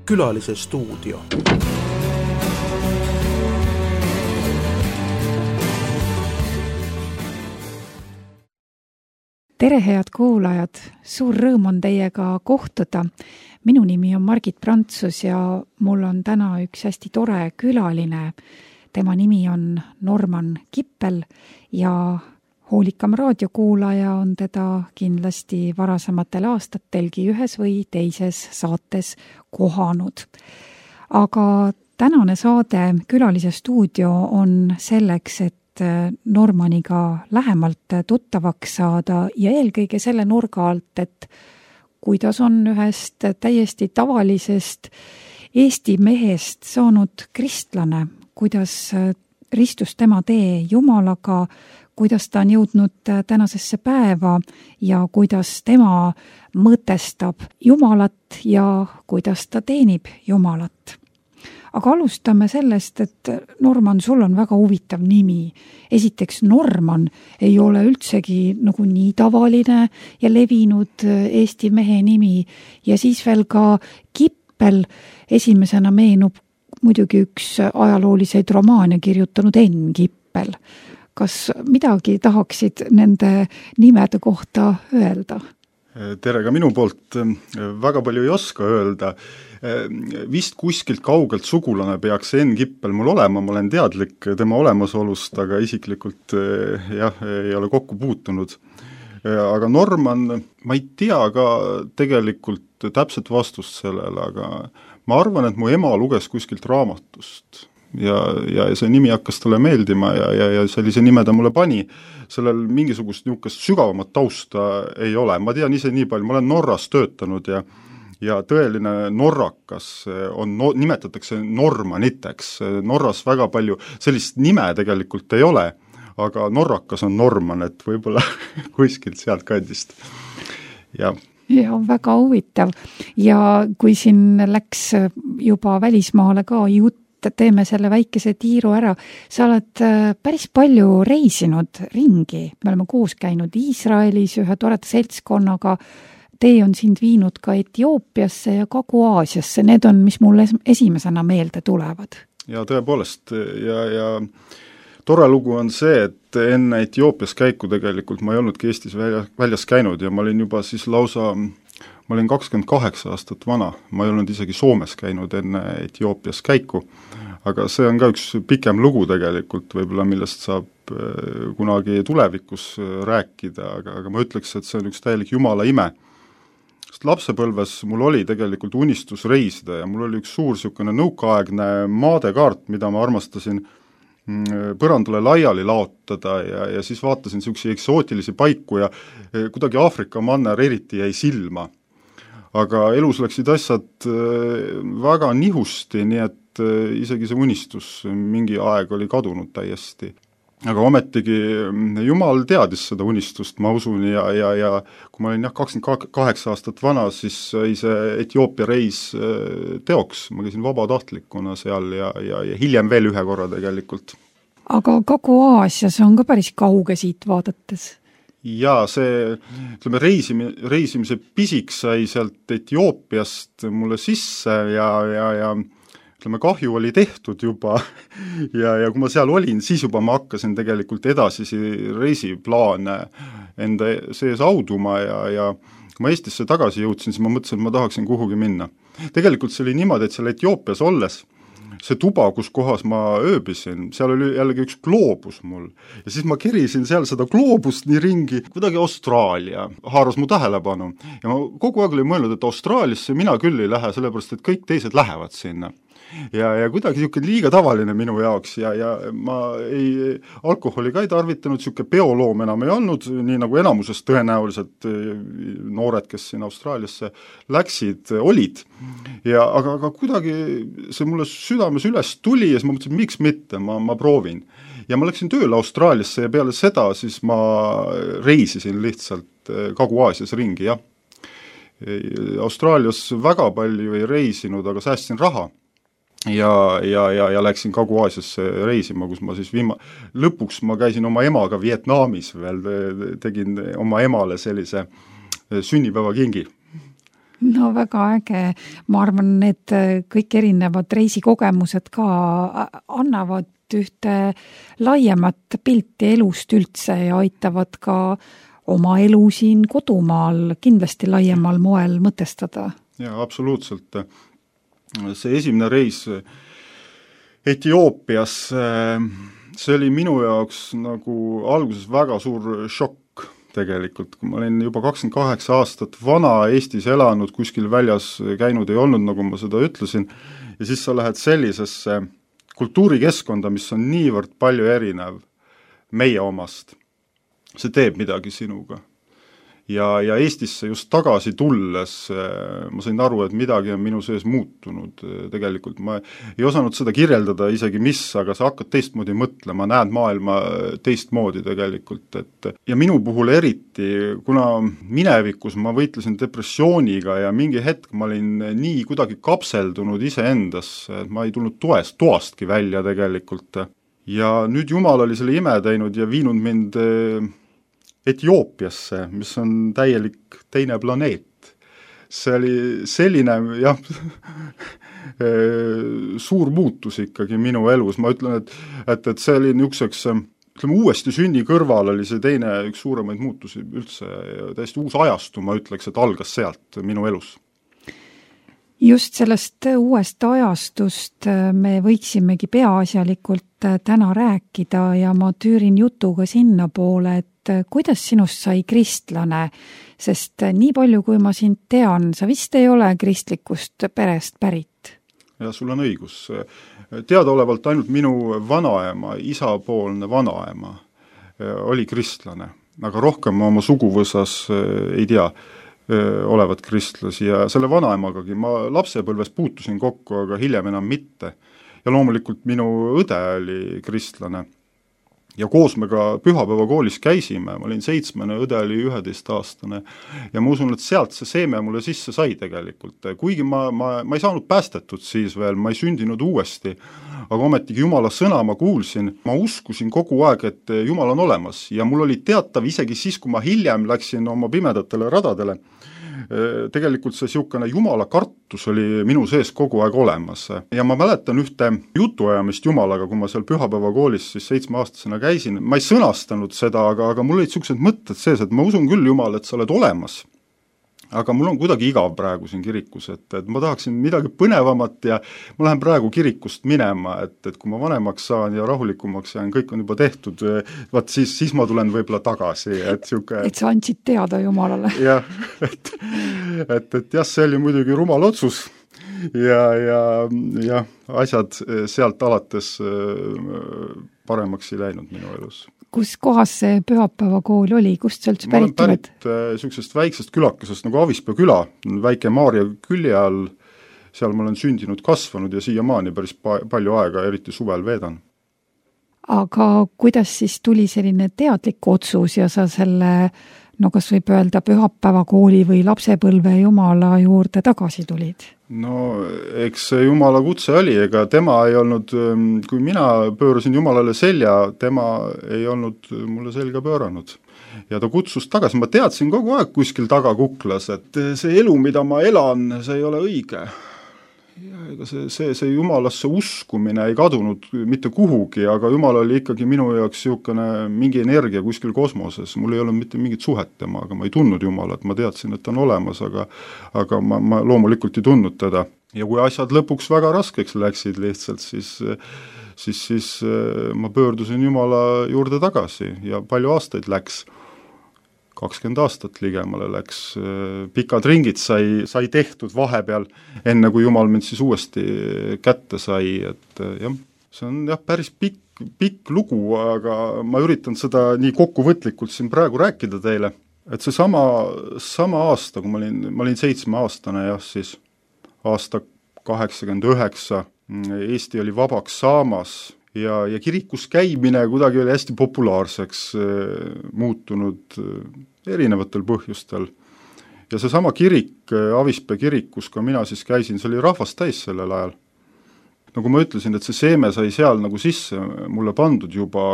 Külalise stuudio. Tere, head kuulajad! Suur rõõm on teiega kohtuda. Minu nimi on Margit Prantsus ja mul on täna üks hästi tore külaline. Tema nimi on Norman Kippel ja hoolikam raadiokuulaja on teda kindlasti varasematel aastatelgi ühes või teises saates kohanud. Aga tänane saade Külalise stuudio on selleks, et Normaniga lähemalt tuttavaks saada ja eelkõige selle nurga alt, et kuidas on ühest täiesti tavalisest Eesti mehest saanud kristlane, kuidas ristus tema tee Jumalaga, kuidas ta on jõudnud tänasesse päeva ja kuidas tema mõtestab Jumalat ja kuidas ta teenib Jumalat. Aga alustame sellest, et Norman, sul on väga huvitav nimi. Esiteks, Norman ei ole üldsegi nagu nii tavaline ja levinud Eesti mehe nimi ja siis veel ka Kippel. Esimesena meenub muidugi üks ajalooliseid romaane kirjutanud Enn Kippel. Kas midagi tahaksid nende nimede kohta öelda? Tere ka minu poolt. Väga palju ei oska öelda. Vist kuskilt kaugelt sugulane peaks Enn Kippel mul olema, ma olen teadlik tema olemasolust, aga isiklikult ei ole kokku puutunud. Aga Norman, ma ei tea ka tegelikult täpset vastust sellele, aga ma arvan, et mu ema luges kuskilt raamatust ja see nimi hakkas talle meeldima ja sellise nime ta mulle pani. Sellel mingisugust niisugust sügavamat tausta ei ole. Ma tean ise nii palju, ma olen Norras töötanud ja tõeline norrakas nimetatakse normaniteks. Norras väga palju sellist nime tegelikult ei ole, aga norrakas on Norman, et võib-olla kuskilt sealt kandist. Ja, väga huvitav. Ja kui siin läks juba välismaale ka jutt, teeme selle väikese tiiru ära. Sa oled päris palju reisinud ringi. Me oleme koos käinud Iisraelis ühe toreda seltskonnaga. Tee on sind viinud ka Etioopiasse ja Kagu-Aasiasse. Need on, mis mulle esimesena meelde tulevad. Ja tõepoolest. Ja tore lugu on see, et enne Etioopias käiku tegelikult ma ei olnudki Eestis väljas käinud ja ma olin juba siis lausa, ma olin 28 aastat vana. Ma ei olnud isegi Soomes käinud enne Etioopias käiku. Aga see on ka üks pikem lugu tegelikult, võib-olla millest saab kunagi tulevikus rääkida, aga ma ütleks, et see on üks täielik Jumala ime. Sest lapsepõlves mul oli tegelikult unistus reisida ja mul oli üks suur niisugune nõukaaegne maadekaart, mida ma armastasin põrandale laiali laotada ja siis vaatasin niisuguseid eksootilisi paiku ja kuidagi Aafrika manner eriti jäi silma. Aga elus läksid asjad väga nihusti, nii et isegi see unistus mingi aeg oli kadunud täiesti. Aga ometigi Jumal teadis seda unistust, ma usun, ja kui ma olin 28 aastat vana, siis sai see Etioopia reis teoks. Ma käisin vabatahtlikuna seal ja hiljem veel ühe korra tegelikult. Aga Kagu-Aasias on ka päris kauge siit vaadates. Ja see, ütleme, reisimise pisik sai sealt Etioopiast mulle sisse ja ütleme, kahju oli tehtud juba ja kui ma seal olin, siis juba ma hakkasin tegelikult edasisi reisiplaane enda sees auduma ja kui ma Eestisse tagasi jõudsin, siis ma mõtlesin, et ma tahaksin kuhugi minna. Tegelikult see oli niimoodi, et seal Etioopias olles see tuba, kus kohas ma ööbisin, seal oli jällegi üks gloobus mul ja siis ma kerisin seal seda gloobust nii ringi, kuidagi Austraalia haaras mu tähelepanu ja ma kogu aeg olin mõelnud, et Austraaliasse mina küll ei lähe, sellepärast et kõik teised lähevad sinna. Ja kuidagi niisugune liiga tavaline minu jaoks ja ma alkoholi ka ei tarvitanud, niisugune peoloom enam ei olnud, nii nagu enamuses tõenäoliselt noored, kes siin Austraaliasse läksid, olid. Aga kuidagi see mulle südames üles tuli ja siis ma mõtlesin, miks mitte, ma proovin. Ja ma läksin tööle Austraaliasse ja peale seda siis ma reisisin lihtsalt Kagu-Aasias ringi, jah. Austraalias väga palju ei reisinud, aga säästsin raha. Ja läksin Kagu-Aasiasse reisima, kus ma siis lõpuks ma käisin oma emaga Vietnamis veel, tegin oma emale sellise sünnipäevakingi. No väga äge. Ma arvan, need kõik erinevad reisikogemused ka annavad ühte laiemat pilti elust üldse ja aitavad ka oma elu siin kodumaal kindlasti laiemal moel mõtestada. Jaa, absoluutselt. See esimene reis Etioopias, see oli minu jaoks nagu alguses väga suur šokk tegelikult, kui ma olin juba 28 aastat vana, Eestis elanud, kuskil väljas käinud ei olnud, nagu ma seda ütlesin, ja siis sa lähed sellisesse kultuurikeskkonda, mis on niivõrd palju erinev meie omast. See teeb midagi sinuga. Ja Eestisse just tagasi tulles ma sain aru, et midagi on minu sees muutunud tegelikult. Ma ei osanud seda kirjeldada isegi mis, aga sa hakkad teistmoodi mõtlema, näed maailma teistmoodi tegelikult. Ja minu puhul eriti, kuna minevikus ma võitlesin depressiooniga ja mingi hetk ma olin nii kuidagi kapseldunud iseendasse, et ma ei tulnud toastki välja tegelikult. Ja nüüd Jumal oli selle ime teinud ja viinud mind Etioopiasse, mis on täielik teine planeet. See oli selline, jah, suur muutus ikkagi minu elus. Ma ütlen, et see oli niisuguseks, ütleme, uuesti sünni kõrval oli see teine üks suuremaid muutusi üldse. Täiesti uus ajastu, ma ütleks, et algas sealt minu elus. Just sellest uuest ajastust me võiksimegi peaasjalikult täna rääkida ja ma tüürin jutuga sinna poole, et kuidas sinust sai kristlane, sest nii palju, kui ma sind tean, sa vist ei ole kristlikust perest pärit. Ja sul on õigus. Teadaolevalt ainult minu vanaema, isapoolne vanaema oli kristlane, aga rohkem ma oma suguvõsas ei tea olevat kristlasi ja selle vanaemagagi ma lapsepõlves puutusin kokku, aga hiljem enam mitte. Ja loomulikult minu õde oli kristlane ja koos me ka pühapäeva koolis käisime, ma olin 7, õde oli 11-aastane ja ma usun, et sealt see seeme mulle sisse sai tegelikult, kuigi ma ei saanud päästetud siis veel, ma ei sündinud uuesti, aga ometigi Jumala sõna ma kuulsin, ma uskusin kogu aeg, et Jumal on olemas ja mul oli teatav isegi siis, kui ma hiljem läksin oma pimedatele radadele, tegelikult see siukene Jumala kartus oli minu sees kogu aeg olemas. Ja ma mäletan ühte jutuajamist Jumalaga, kui ma seal pühapäeva koolis siis 7-aastasena käisin. Ma ei sõnastanud seda, aga mul olid siuksed mõtted sees, et ma usun küll Jumal, et sa oled olemas. Aga mul on kuidagi igav praegu siin kirikus, et ma tahaksin midagi põnevamat ja ma lähen praegu kirikust minema, et kui ma vanemaks saan ja rahulikumaks jään, kõik on juba tehtud, vaat siis ma tulen võib-olla tagasi. Et sa andsid teada Jumalale. Jah, et jah, see oli muidugi rumal otsus ja asjad sealt alates paremaks ei läinud minu elus. Kus kohas see pühapäevakool oli? Kust sa üldse pärit oled? Ma olen pärit sellisest väiksest külakesest nagu Avispea küla, väike Maarja külje all, seal ma olen sündinud, kasvanud ja siiamaani päris palju aega, eriti suvel veedan. Aga kuidas siis tuli selline teadlik otsus ja sa selle, no kas võib öelda pühapäevakooli või lapsepõlve Jumala juurde tagasi tulid? No eks Jumala kutse oli, ega tema ei olnud, kui mina pöörasin Jumalale selja, tema ei olnud mulle selga pööranud. Ja ta kutsus tagasi, ma teadsin kogu aeg kuskil taga kuklas, et see elu, mida ma elan, see ei ole õige. Ja ega see Jumalasse uskumine ei kadunud mitte kuhugi, aga Jumal oli ikkagi minu jaoks siukene mingi energia kuskil kosmoses. Mul ei olnud mitte mingit suhet tema, aga ma ei tundnud Jumalat, ma teadsin, et ta on olemas, aga ma loomulikult ei tundnud teda. Ja kui asjad lõpuks väga raskeks läksid lihtsalt, siis ma pöördusin Jumala juurde tagasi ja palju aastaid läks. 20 aastat ligemale läks, pikad ringid sai tehtud vahepeal, enne kui Jumal mind siis uuesti kätte sai, et jah, see on jah päris pikk lugu, aga ma üritan seda nii kokkuvõtlikult siin praegu rääkida teile, et see sama aasta, kui ma olin 7-aastane, jah, siis aasta 89, Eesti oli vabaks saamas ja kirikus käimine kuidagi oli hästi populaarseks muutunud erinevatel põhjustel. Ja see sama kirik, Avispea kirik, kus ka mina siis käisin, see oli rahvast täis sellel ajal. Nagu ma ütlesin, et see seeme sai seal nagu sisse mulle pandud juba,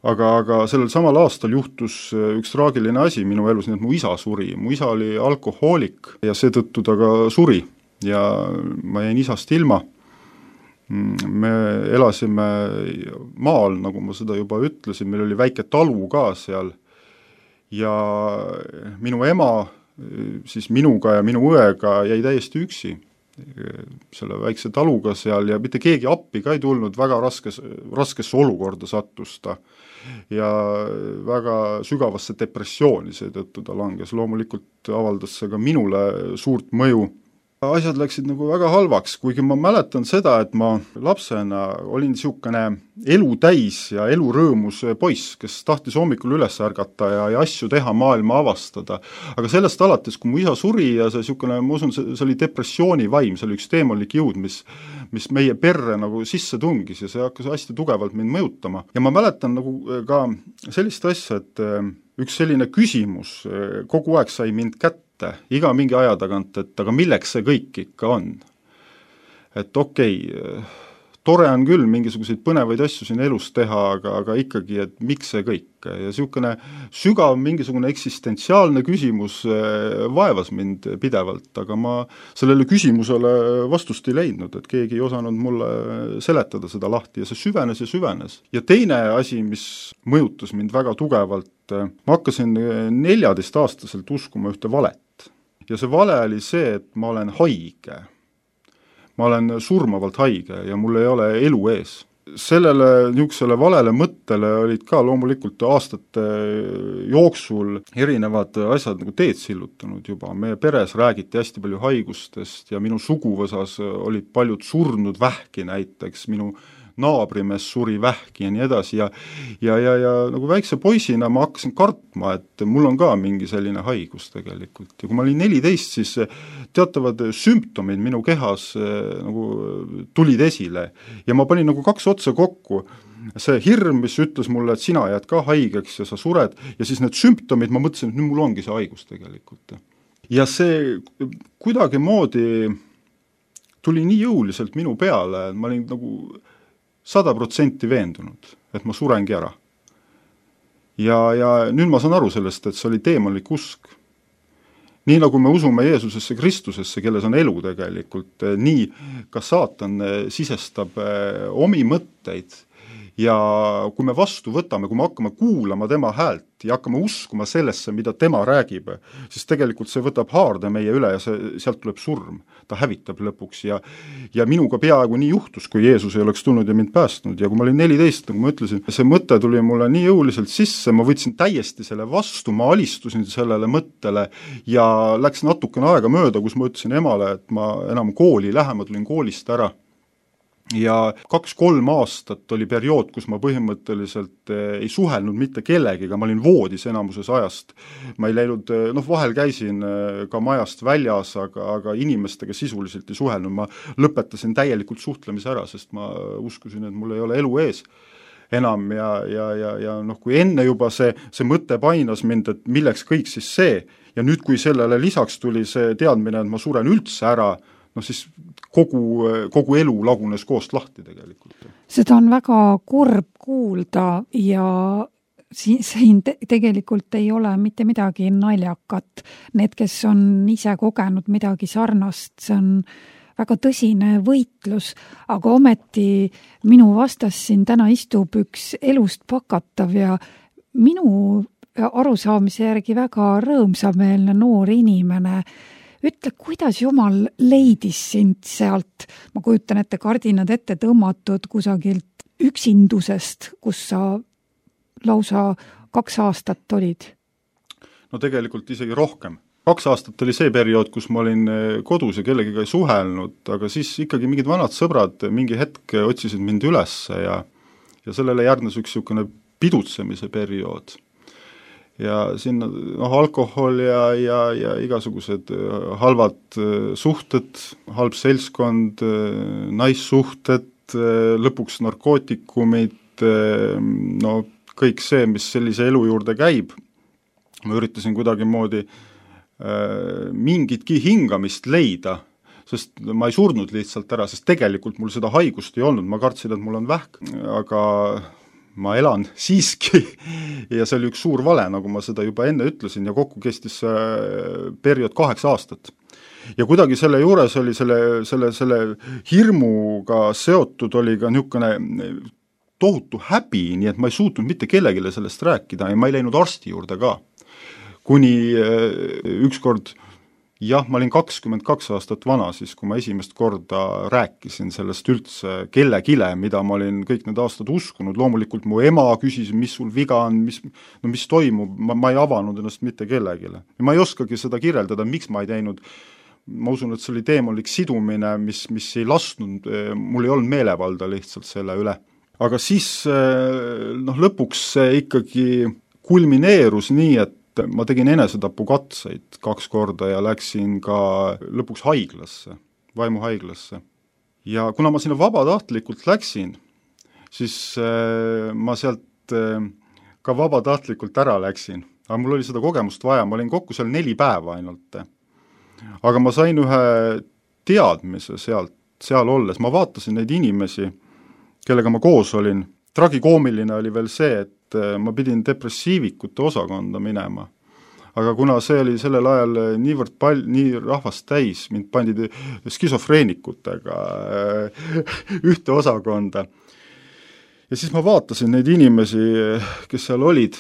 aga sellel samal aastal juhtus üks traagiline asi minu elus, nii et mu isa suri. Mu isa oli alkohoolik ja seetõttu ta ka suri ja ma jäin isast ilma. Me elasime maal, nagu ma seda juba ütlesin, meil oli väike talu ka seal ja minu ema siis minuga ja minu õega jäi täiesti üksi selle väikse taluga seal ja mitte keegi appi ka ei tulnud, väga raskesse olukorda sattus ta ja väga sügavasse depressiooni seetõttu ta langes. Loomulikult avaldas see ka minule suurt mõju. Asjad läksid nagu väga halvaks, kuigi ma mäletan seda, et ma lapsena olin niisugune elu täis ja elurõõmus poiss, kes tahtis hommikul üles ärgata ja asju teha, maailma avastada. Aga sellest alates, kui mu isa suri ja see niisugune, ma usun, see oli depressiooni vaim, see oli üks teemonlik jõud, mis meie perre nagu sisse tungis ja see hakkas hästi tugevalt mind mõjutama. Ja ma mäletan nagu ka sellist asja, et üks selline küsimus kogu aeg sai mind kätte, iga mingi aja tagant, et aga milleks see kõik ikka on? Et okei, tore on küll mingisuguseid põnevaid asju siin elus teha, aga ikkagi, et miks see kõik? Ja niisugune sügav mingisugune eksistentsiaalne küsimus vaevas mind pidevalt, aga ma sellele küsimusele vastust ei leidnud, et keegi ei osanud mulle seletada seda lahti ja see süvenes ja süvenes. Ja teine asi, mis mõjutas mind väga tugevalt, ma hakkasin 14-aastaselt uskuma ühte valet. Ja see vale oli see, et ma olen haige. Ma olen surmavalt haige ja mul ei ole elu ees. Sellele niisugusele valele mõttele olid ka loomulikult aastate jooksul erinevad asjad nagu teed sillutanud juba. Meie peres räägiti hästi palju haigustest ja minu suguvõsas olid paljud surnud vähki näiteks, minu naabrimees suri vähki ja nii edasi ja nagu väikse poisina ma hakkasin kartma, et mul on ka mingi selline haigus tegelikult. Ja kui ma olin 14, siis teatavad sümptomid minu kehas nagu tulid esile ja ma panin nagu kaks otsa kokku. See hirm, mis ütles mulle, et sina jääd ka haigeks ja sa sured ja siis need sümptomid, ma mõtlesin, et nüüd mul ongi see haigus tegelikult. Ja see kuidagi moodi tuli nii jõuliselt minu peale, et ma olin nagu 100% veendunud, et ma surengi ära. Ja nüüd ma saan aru sellest, et see oli teemonlik usk. Nii nagu me usume Jeesusesse Kristusesse, kelles on elu tegelikult, nii ka saatan sisestab omi mõtteid ja kui me vastu võtame, kui me hakkame kuulama tema häält ja hakkame uskuma sellesse, mida tema räägib, siis tegelikult see võtab haarde meie üle ja sealt tuleb surm. Ta hävitab lõpuks ja minuga peaaegu nii juhtus, kui Jeesus ei oleks tulnud ja mind päästnud. Ja kui ma olin 14, nagu ma ütlesin, see mõte tuli mulle nii jõuliselt sisse, ma võtsin täiesti selle vastu, ma alistusin sellele mõttele ja läks natukene aega mööda, kus ma ütlesin emale, et ma enam kooli lähe, ma tulin koolist ära. Ja 2-3 aastat oli periood, kus ma põhimõtteliselt ei suhelnud mitte kellegiga, ma olin voodis enamuses ajast. Ma ei läinud, vahel käisin ka majast väljas, aga inimestega sisuliselt ei suhelnud. Ma lõpetasin täielikult suhtlemise ära, sest ma uskusin, et mul ei ole elu ees enam ja kui enne juba see mõte painas mind, et milleks kõik siis see ja nüüd, kui sellele lisaks tuli see teadmine, et ma suren üldse ära, siis kogu elu lagunes koost lahti tegelikult. Seda on väga kurb kuulda ja siin tegelikult ei ole mitte midagi naljakat. Need, kes on ise kogenud midagi sarnast, see on väga tõsine võitlus, aga ometi minu vastas siin täna istub üks elust pakatav ja minu arusaamise järgi väga rõõmsameelne noor inimene. Ütle, kuidas Jumal leidis sind sealt, ma kujutan ette kardinad ette tõmmatud kusagilt üksindusest, kus sa lausa 2 aastat olid? No tegelikult isegi rohkem. 2 aastat oli see periood, kus ma olin kodus ja kellegiga ei suhelnud, aga siis ikkagi mingid vanad sõbrad mingi hetk otsisid mind üles ja sellele järgnes üks niisugune pidutsemise periood. Ja sinna alkohol ja igasugused halvad suhted, halb seltskond, naissuhted, lõpuks narkootikumid, kõik see, mis sellise elu juurde käib. Ma üritasin kuidagi moodi mingitki hingamist leida, sest ma ei surnud lihtsalt ära, sest tegelikult mul seda haigust ei olnud, ma kartsin, et mul on vähk, aga ma elan siiski ja see oli üks suur vale, nagu ma seda juba enne ütlesin, ja kokku kestis periood 8 aastat. Ja kuidagi selle juures oli selle hirmuga seotud oli ka niisugune tohutu häbi, nii et ma ei suutnud mitte kellegile sellest rääkida ja ma ei läinud arsti juurde ka. Kuni ükskord, jah, ma olin 22 aastat vana siis, kui ma esimest korda rääkisin sellest üldse kellegile, mida ma olin kõik need aastad uskunud. Loomulikult mu ema küsis, mis sul viga on, mis toimub, ma ei avanud ennast mitte kellegile. Ja ma ei oskagi seda kirjeldada, miks ma ei teinud. Ma usun, et see oli teemolik sidumine, mis ei lasknud, mul ei olnud meelevalda lihtsalt selle üle. Aga siis lõpuks see ikkagi kulmineerus nii, et ma tegin enesetapukatseid 2 korda ja läksin ka lõpuks haiglasse, vaimuhaiglasse. Ja kuna ma sinna vabatahtlikult läksin, siis ma sealt ka vabatahtlikult ära läksin. Aga mul oli seda kogemust vaja, ma olin kokku seal 4 päeva ainult. Aga ma sain ühe teadmise seal olles, ma vaatasin neid inimesi, kellega ma koos olin. Tragikoomiline oli veel see, et ma pidin depressiivikute osakonda minema. Aga kuna see oli sellel ajal nii rahvast täis, mind pandi skisofreenikutega ühte osakonda. Ja siis ma vaatasin neid inimesi, kes seal olid.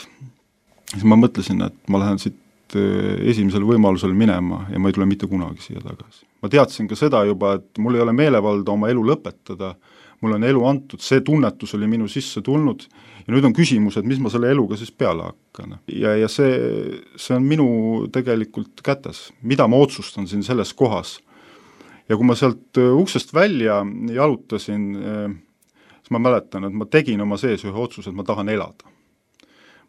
Siis ma mõtlesin, et ma lähen siit esimesel võimalusel minema ja ma ei tule mitte kunagi siia tagasi. Ma teadsin ka seda juba, et mul ei ole meelevalda oma elu lõpetada. Mul on elu antud, see tunnetus oli minu sisse tulnud ja nüüd on küsimus, et mis ma selle eluga siis peale hakkan. Ja see on minu tegelikult kätes, mida ma otsustan siin selles kohas. Ja kui ma sealt uksest välja jalutasin, siis ma mäletan, et ma tegin oma sees ühe otsuse, et ma tahan elada.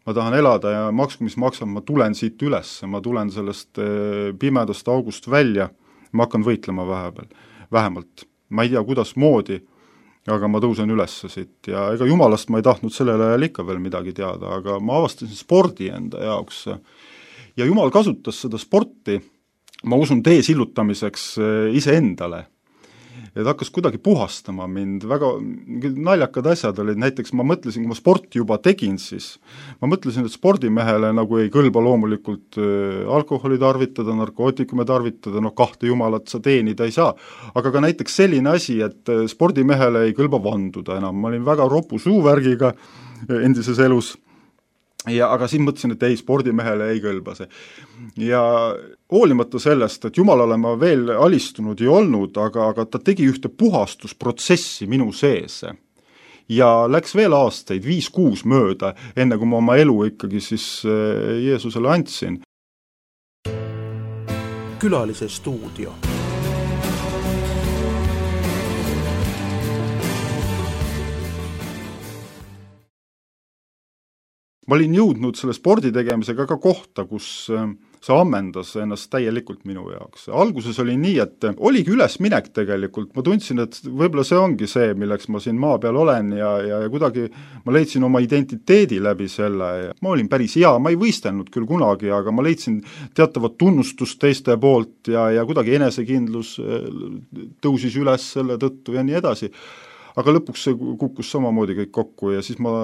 Ma tahan elada ja maksku, mis maksab, ma tulen siit üles, ma tulen sellest pimedast august välja, ma hakkan võitlema vähemalt. Ma ei tea, kuidas moodi, aga ma tõusen üles siit ja ega jumalast ma ei tahtnud sellel ajal ikka veel midagi teada, aga ma avastasin spordi enda jaoks ja jumal kasutas seda sporti, ma usun, tee sillutamiseks iseendale. Et hakkas kuidagi puhastama mind, väga naljakad asjad olid, näiteks ma mõtlesin, kui ma sporti juba tegin, siis ma mõtlesin, et spordimehele nagu ei kõlba loomulikult alkoholi tarvitada, narkootikume tarvitada, 2 jumalat sa teenida ei saa, aga ka näiteks selline asi, et spordimehele ei kõlba vanduda enam, ma olin väga ropu suuvärgiga endises elus. Aga siis mõtlesin, et ei, spordimehele ei kõlba see. Ja hoolimata sellest, et jumalale ma veel alistunud ei olnud, aga ta tegi ühte puhastusprotsessi minu sees. Ja läks veel aastaid, 5-6 mööda, enne kui ma oma elu ikkagi siis Jeesusele andsin. Külalise stuudio. Ma olin jõudnud selle spordi tegemisega ka kohta, kus see ammendas ennast täielikult minu jaoks. Alguses oli nii, et oligi ülesminek tegelikult, ma tundsin, et võib-olla see ongi see, milleks ma siin maa peal olen ja kuidagi ma leidsin oma identiteedi läbi selle. Ma olin päris hea, ma ei võistelnud küll kunagi, aga ma leidsin teatavat tunnustust teiste poolt ja kuidagi enesekindlus tõusis üles selle tõttu ja nii edasi. Aga lõpuks see kukkus samamoodi kõik kokku ja siis ma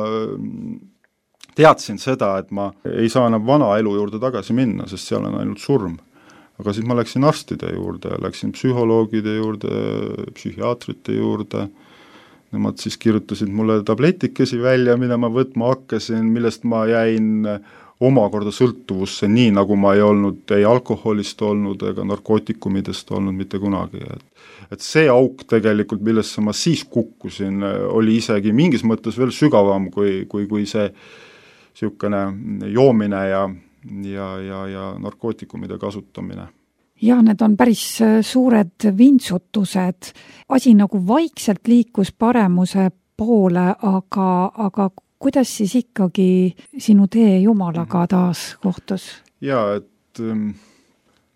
teadsin seda, et ma ei saa enam vana elu juurde tagasi minna, sest seal on ainult surm. Aga siis ma läksin arstide juurde, läksin psühholoogide juurde, psühhiaatrite juurde. Nemad siis kirjutasid mulle tabletikesi välja, mida ma võtma hakkasin, millest ma jäin omakorda sõltuvusse, nii nagu ma ei olnud ei alkoholist olnud ega narkootikumidest olnud mitte kunagi. Et see auk tegelikult, millesse ma siis kukkusin, oli isegi mingis mõttes veel sügavam kui see siukene joomine ja narkootikumide kasutamine. Ja need on päris suured vintsutused. Asi nagu vaikselt liikus paremuse poole, aga kuidas siis ikkagi sinu tee Jumalaga taas kohtus? Ja, et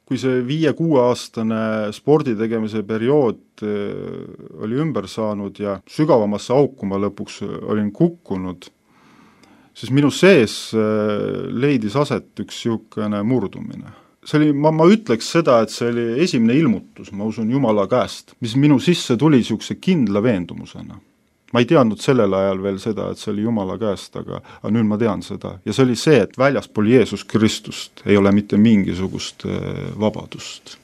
kui see 5-6 aastane spordi tegemise periood oli ümber saanud ja sügavamasse auku ma lõpuks olin kukkunud, siis minu sees leidis aset üks siukene murdumine. See oli, ma ütleks seda, et see oli esimene ilmutus, ma usun Jumala käest, mis minu sisse tuli siukse kindla veendumusena. ma ei teadnud sellel ajal veel seda, et see oli Jumala käest, aga nüüd ma tean seda. Ja see oli see, et väljaspool Jeesus Kristust ei ole mitte mingisugust vabadust.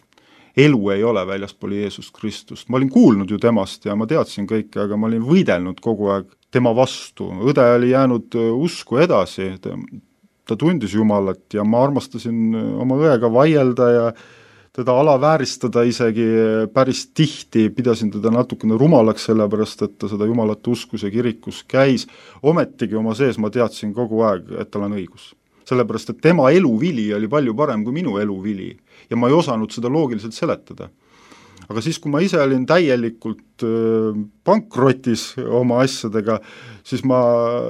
Elu ei ole väljaspool Jeesus Kristust. Ma olin kuulnud ju temast ja ma teadsin kõike, aga ma olin võidelnud kogu aeg tema vastu. Õde oli jäänud usku edasi, ta tundis Jumalat ja ma armastasin oma õega vaielda ja teda alavääristada isegi päris tihti, pidasin teda natukene rumalaks, sellepärast et ta seda Jumalat uskus ja kirikus käis. Ometigi oma sees ma teadsin kogu aeg, et tal on õigus. Sellepärast, et tema eluvili oli palju parem kui minu eluvili ja ma ei osanud seda loogiliselt seletada. Aga siis, kui ma ise olin täielikult pankrotis oma asjadega, siis ma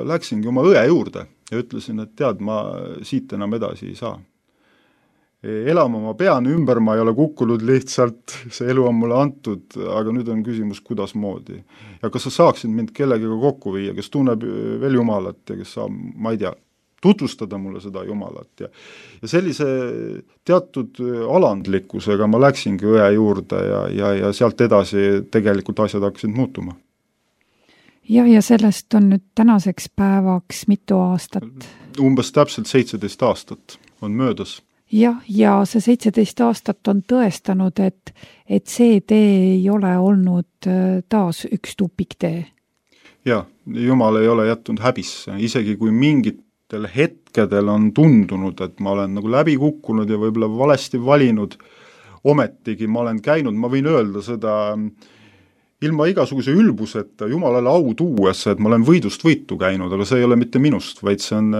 läksingi oma õe juurde ja ütlesin, et tead, ma siit enam edasi ei saa. Elama ma pean ümber, ma ei ole kukkunud lihtsalt, see elu on mulle antud, aga nüüd on küsimus, kuidas moodi. Ja kas sa saaksid mind kellegagi kokku viia, kes tunneb veel Jumalat ja kes saab, ma ei tea, tutvustada mulle seda Jumalat. Ja sellise teatud alandlikkusega ma läksingi õe juurde ja sealt edasi tegelikult asjad hakkasid muutuma. Ja sellest on nüüd tänaseks päevaks mitu aastat? Umbes täpselt 17 aastat on möödas. Ja see 17 aastat on tõestanud, et see tee ei ole olnud taas üks tupiktee. Ja, Jumal ei ole jätnud häbisse, isegi kui mingitel hetkedel on tundunud, et ma olen nagu läbi kukkunud ja võib-olla valesti valinud, ometigi ma olen käinud, ma võin öelda seda ilma igasuguse ülbuseta, Jumalale au tuues, et ma olen võidust võitu käinud, aga see ei ole mitte minust, vaid see on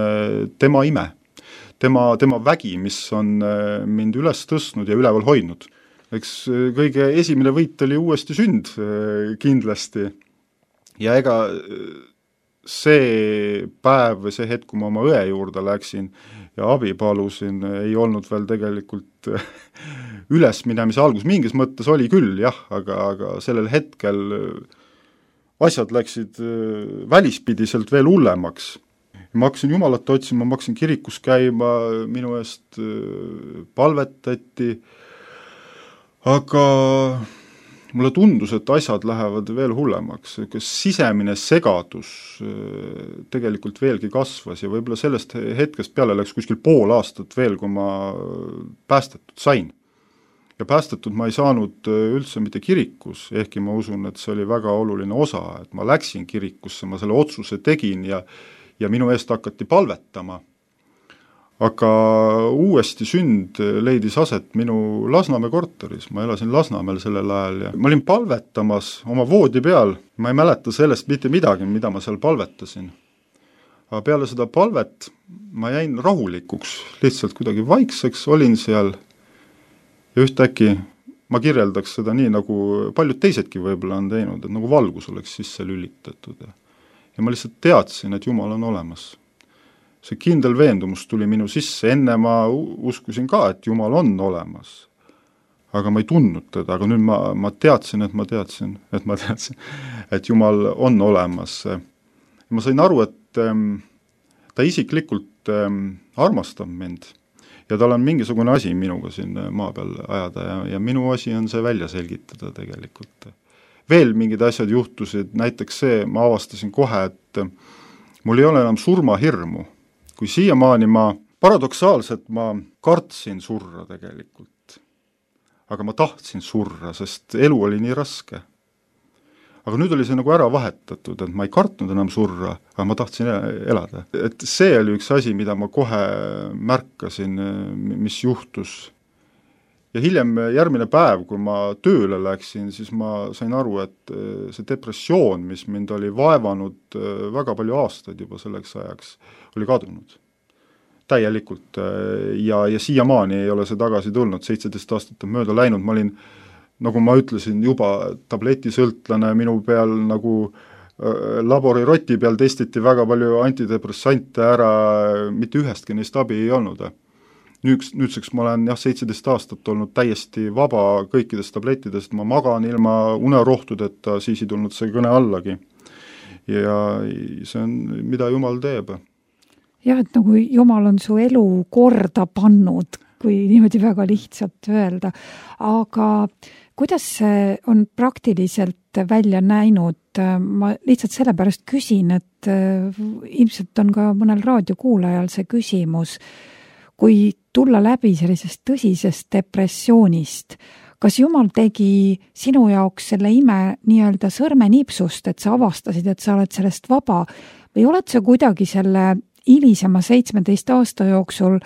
tema ime. Tema vägi, mis on mind üles tõstnud ja üleval hoidnud. Eks kõige esimene võit oli uuesti sünd kindlasti. Ja ega see päev või see hetk, kui ma oma õe juurde läksin ja abi palusin, ei olnud veel tegelikult ülesminemise algus. Mingis mõttes oli küll, jah, aga sellel hetkel asjad läksid välispidiselt veel hullemaks. Ma hakkasin Jumalat otsima, ma hakkasin kirikus käima, minu eest palvetati, aga mulle tundus, et asjad lähevad veel hullemaks. Sisemine segadus tegelikult veelgi kasvas ja võib-olla sellest hetkest peale läks kuskil pool aastat veel, kui ma päästetud sain. Ja päästetud ma ei saanud üldse mitte kirikus, ehkki ma usun, et see oli väga oluline osa, et ma läksin kirikusse, ma selle otsuse tegin ja minu eest hakati palvetama. Aga uuesti sünd leidis aset minu Lasnamäe korteris. Ma elasin Lasnamäel sellel ajal ja ma olin palvetamas oma voodi peal. Ma ei mäleta sellest mitte midagi, mida ma seal palvetasin. Aga peale seda palvet ma jäin rahulikuks, lihtsalt kuidagi vaikseks olin seal ja ühtäkki ma kirjeldaks seda nii, nagu paljud teisedki võib-olla on teinud, et nagu valgus oleks sisse lülitatud ja ma lihtsalt teadsin, et Jumal on olemas. See kindel veendumus tuli minu sisse, enne ma uskusin ka, et Jumal on olemas. Aga ma ei tundnud teda, aga nüüd ma teadsin, et Jumal on olemas. Ma sain aru, et ta isiklikult armastab mind ja tal on mingisugune asi minuga siin maa peal ajada ja minu asi on see välja selgitada tegelikult. Veel mingid asjad juhtusid, näiteks see, ma avastasin kohe, et mul ei ole enam surmahirmu. Kui siiamaani paradoksaalselt ma kartsin surra tegelikult. Aga ma tahtsin surra, sest elu oli nii raske. Aga nüüd oli see nagu ära vahetatud, et ma ei kartnud enam surra, aga ma tahtsin elada. Et see oli üks asi, mida ma kohe märkasin, mis juhtus. Ja hiljem järgmine päev, kui ma tööle läksin, siis ma sain aru, et see depressioon, mis mind oli vaevanud väga palju aastaid juba selleks ajaks, oli kadunud. Täielikult. Ja siiamaani ei ole see tagasi tulnud, 17 aastat on mööda läinud. Ma olin, nagu ma ütlesin, juba tabletisõltlane minu peal, nagu laboriroti peal testiti väga palju antidepressante ära, mitte ühestki neist abi ei olnud. Nüüdseks ma olen 17 aastat olnud täiesti vaba kõikidest tablettidest, ma magan ilma unerohtudeta, siis ei tulnud see kõne allagi. Ja see on, mida Jumal teeb. Jah, et nagu Jumal on su elu korda pannud, kui niimoodi väga lihtsalt öelda. Aga kuidas see on praktiliselt välja näinud? Ma lihtsalt sellepärast küsin, et ilmselt on ka mõnel raadiokuulajal see küsimus, kui tulla läbi sellisest tõsisest depressioonist, kas Jumal tegi sinu jaoks selle ime nii-öelda sõrmenipsust, et sa avastasid, et sa oled sellest vaba, või oled sa kuidagi selle hilisema 17 aasta jooksul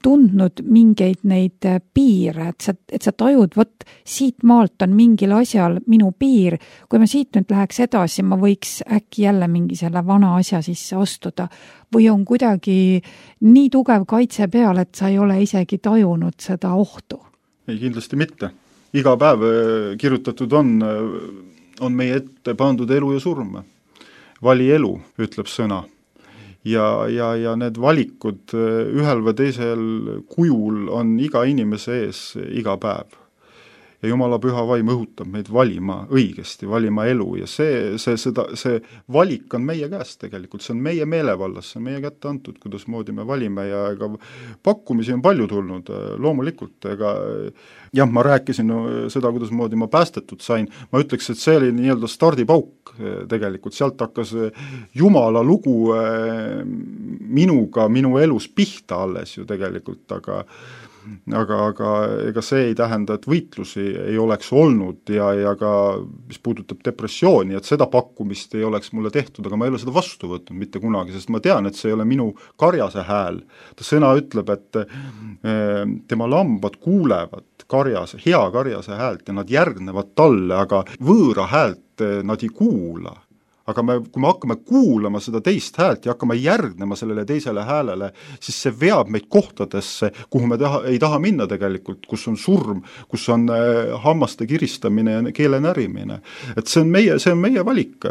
tundnud mingeid neid piire, et sa tajud, võt, siit maalt on mingil asjal minu piir, kui ma siit nüüd läheks edasi, ma võiks äkki jälle mingi selle vana asja sisse astuda, või on kuidagi nii tugev kaitse peal, et sa ei ole isegi tajunud seda ohtu? Ei, kindlasti mitte. Iga päev kirjutatud on meie ette pandud elu ja surm. Vali elu, ütleb sõna. Ja need valikud ühel või teisel kujul on iga inimese ees iga päev. Ja Jumala püha vaim õhutab meid valima õigesti, valima elu ja see valik on meie käest tegelikult, see on meie meelevallas, see on meie kätte antud, kuidas moodi me valime ja ega pakkumisi on palju tulnud, loomulikult, jah, ma rääkisin seda, kuidas moodi ma päästetud sain, ma ütleks, et see oli nii-öelda stardipauk tegelikult, sealt hakkas Jumala lugu minuga, minu elus pihta alles ju tegelikult, aga ega see ei tähenda, et võitlusi ei oleks olnud ja ka, mis puudutab depressiooni, et seda pakkumist ei oleks mulle tehtud, aga ma ei ole seda vastu võtnud mitte kunagi, sest ma tean, et see ei ole minu karjase hääl. Ta sõna ütleb, et tema lambad kuulevad hea karjase häält ja nad järgnevad talle, aga võõra häält nad ei kuula. Aga kui me hakkame kuulama seda teist häält ja hakkame järgnema sellele teisele häälele, siis see veab meid kohtadesse, kuhu me ei taha minna tegelikult, kus on surm, kus on hammaste kiristamine ja keele närimine. Et see on meie valik.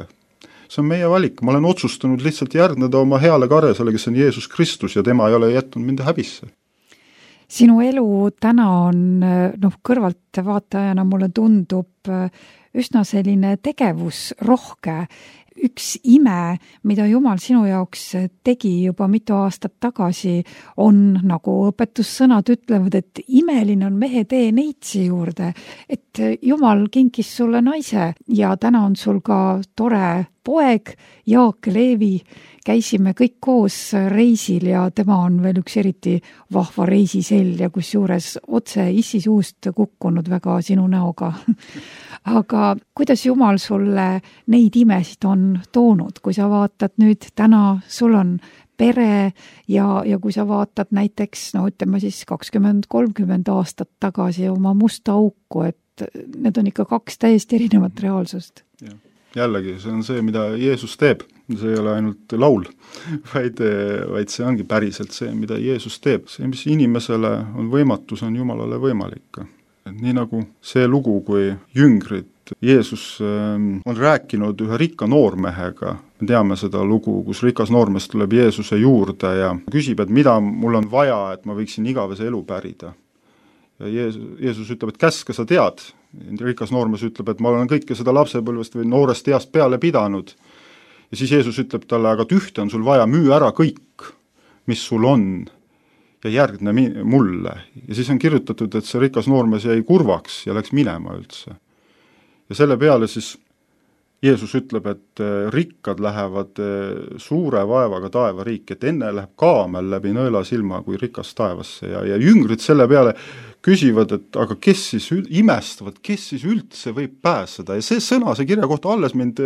See on meie valik. Ma olen otsustanud lihtsalt järgneda oma heale karjasele, kes on Jeesus Kristus ja tema ei ole jätnud mind häbisse. Sinu elu täna on, kõrvalt vaatajana mulle tundub üsna selline tegevusrohke. Üks ime, mida Jumal sinu jaoks tegi juba mitu aastat tagasi, on, nagu õpetussõnad ütlevad, et imeline on mehe tee neitsi juurde, et Jumal kinkis sulle naise ja täna on sul ka tore poeg, Jaak Leevi. Käisime kõik koos reisil ja tema on veel üks eriti vahva reisisell ja kusjuures otse issi suust kukkunud väga sinu näoga. Aga kuidas Jumal sulle neid imesid on toonud, kui sa vaatad nüüd täna, sul on pere ja kui sa vaatad näiteks, ütleme siis 20-30 aastat tagasi oma musta auku, et need on ikka kaks täiesti erinevat reaalsust. Jällegi, see on see, mida Jeesus teeb. See ei ole ainult laul, vaid see ongi päriselt see, mida Jeesus teeb. See, mis inimesele on võimatus, on Jumalale võimalik. Et nii nagu see lugu, kui jüngrid Jeesus on rääkinud ühe rikka noormehega, me teame seda lugu, kus rikas noormees tuleb Jeesuse juurde ja küsib, et mida mul on vaja, et ma võiksin igavese elu pärida. Ja Jeesus ütleb, et käske sa tead. Rikas noormees ütleb, et ma olen kõike seda lapsepõlvest või noorest east peale pidanud. Ja siis Jeesus ütleb talle, aga ühte on sul vaja, müü ära kõik, mis sul on ja järgne mulle. Ja siis on kirjutatud, et see rikas noormees jäi kurvaks ja läks minema üldse. Ja selle peale siis Jeesus ütleb, et rikkad lähevad suure vaevaga taevariiki, et enne läheb kaamel läbi nõela silma kui rikas taevasse ja jüngrid selle peale küsivad, et aga kes siis imestavad, kes siis üldse võib pääseda ja see sõna, see kirja kohta alles mind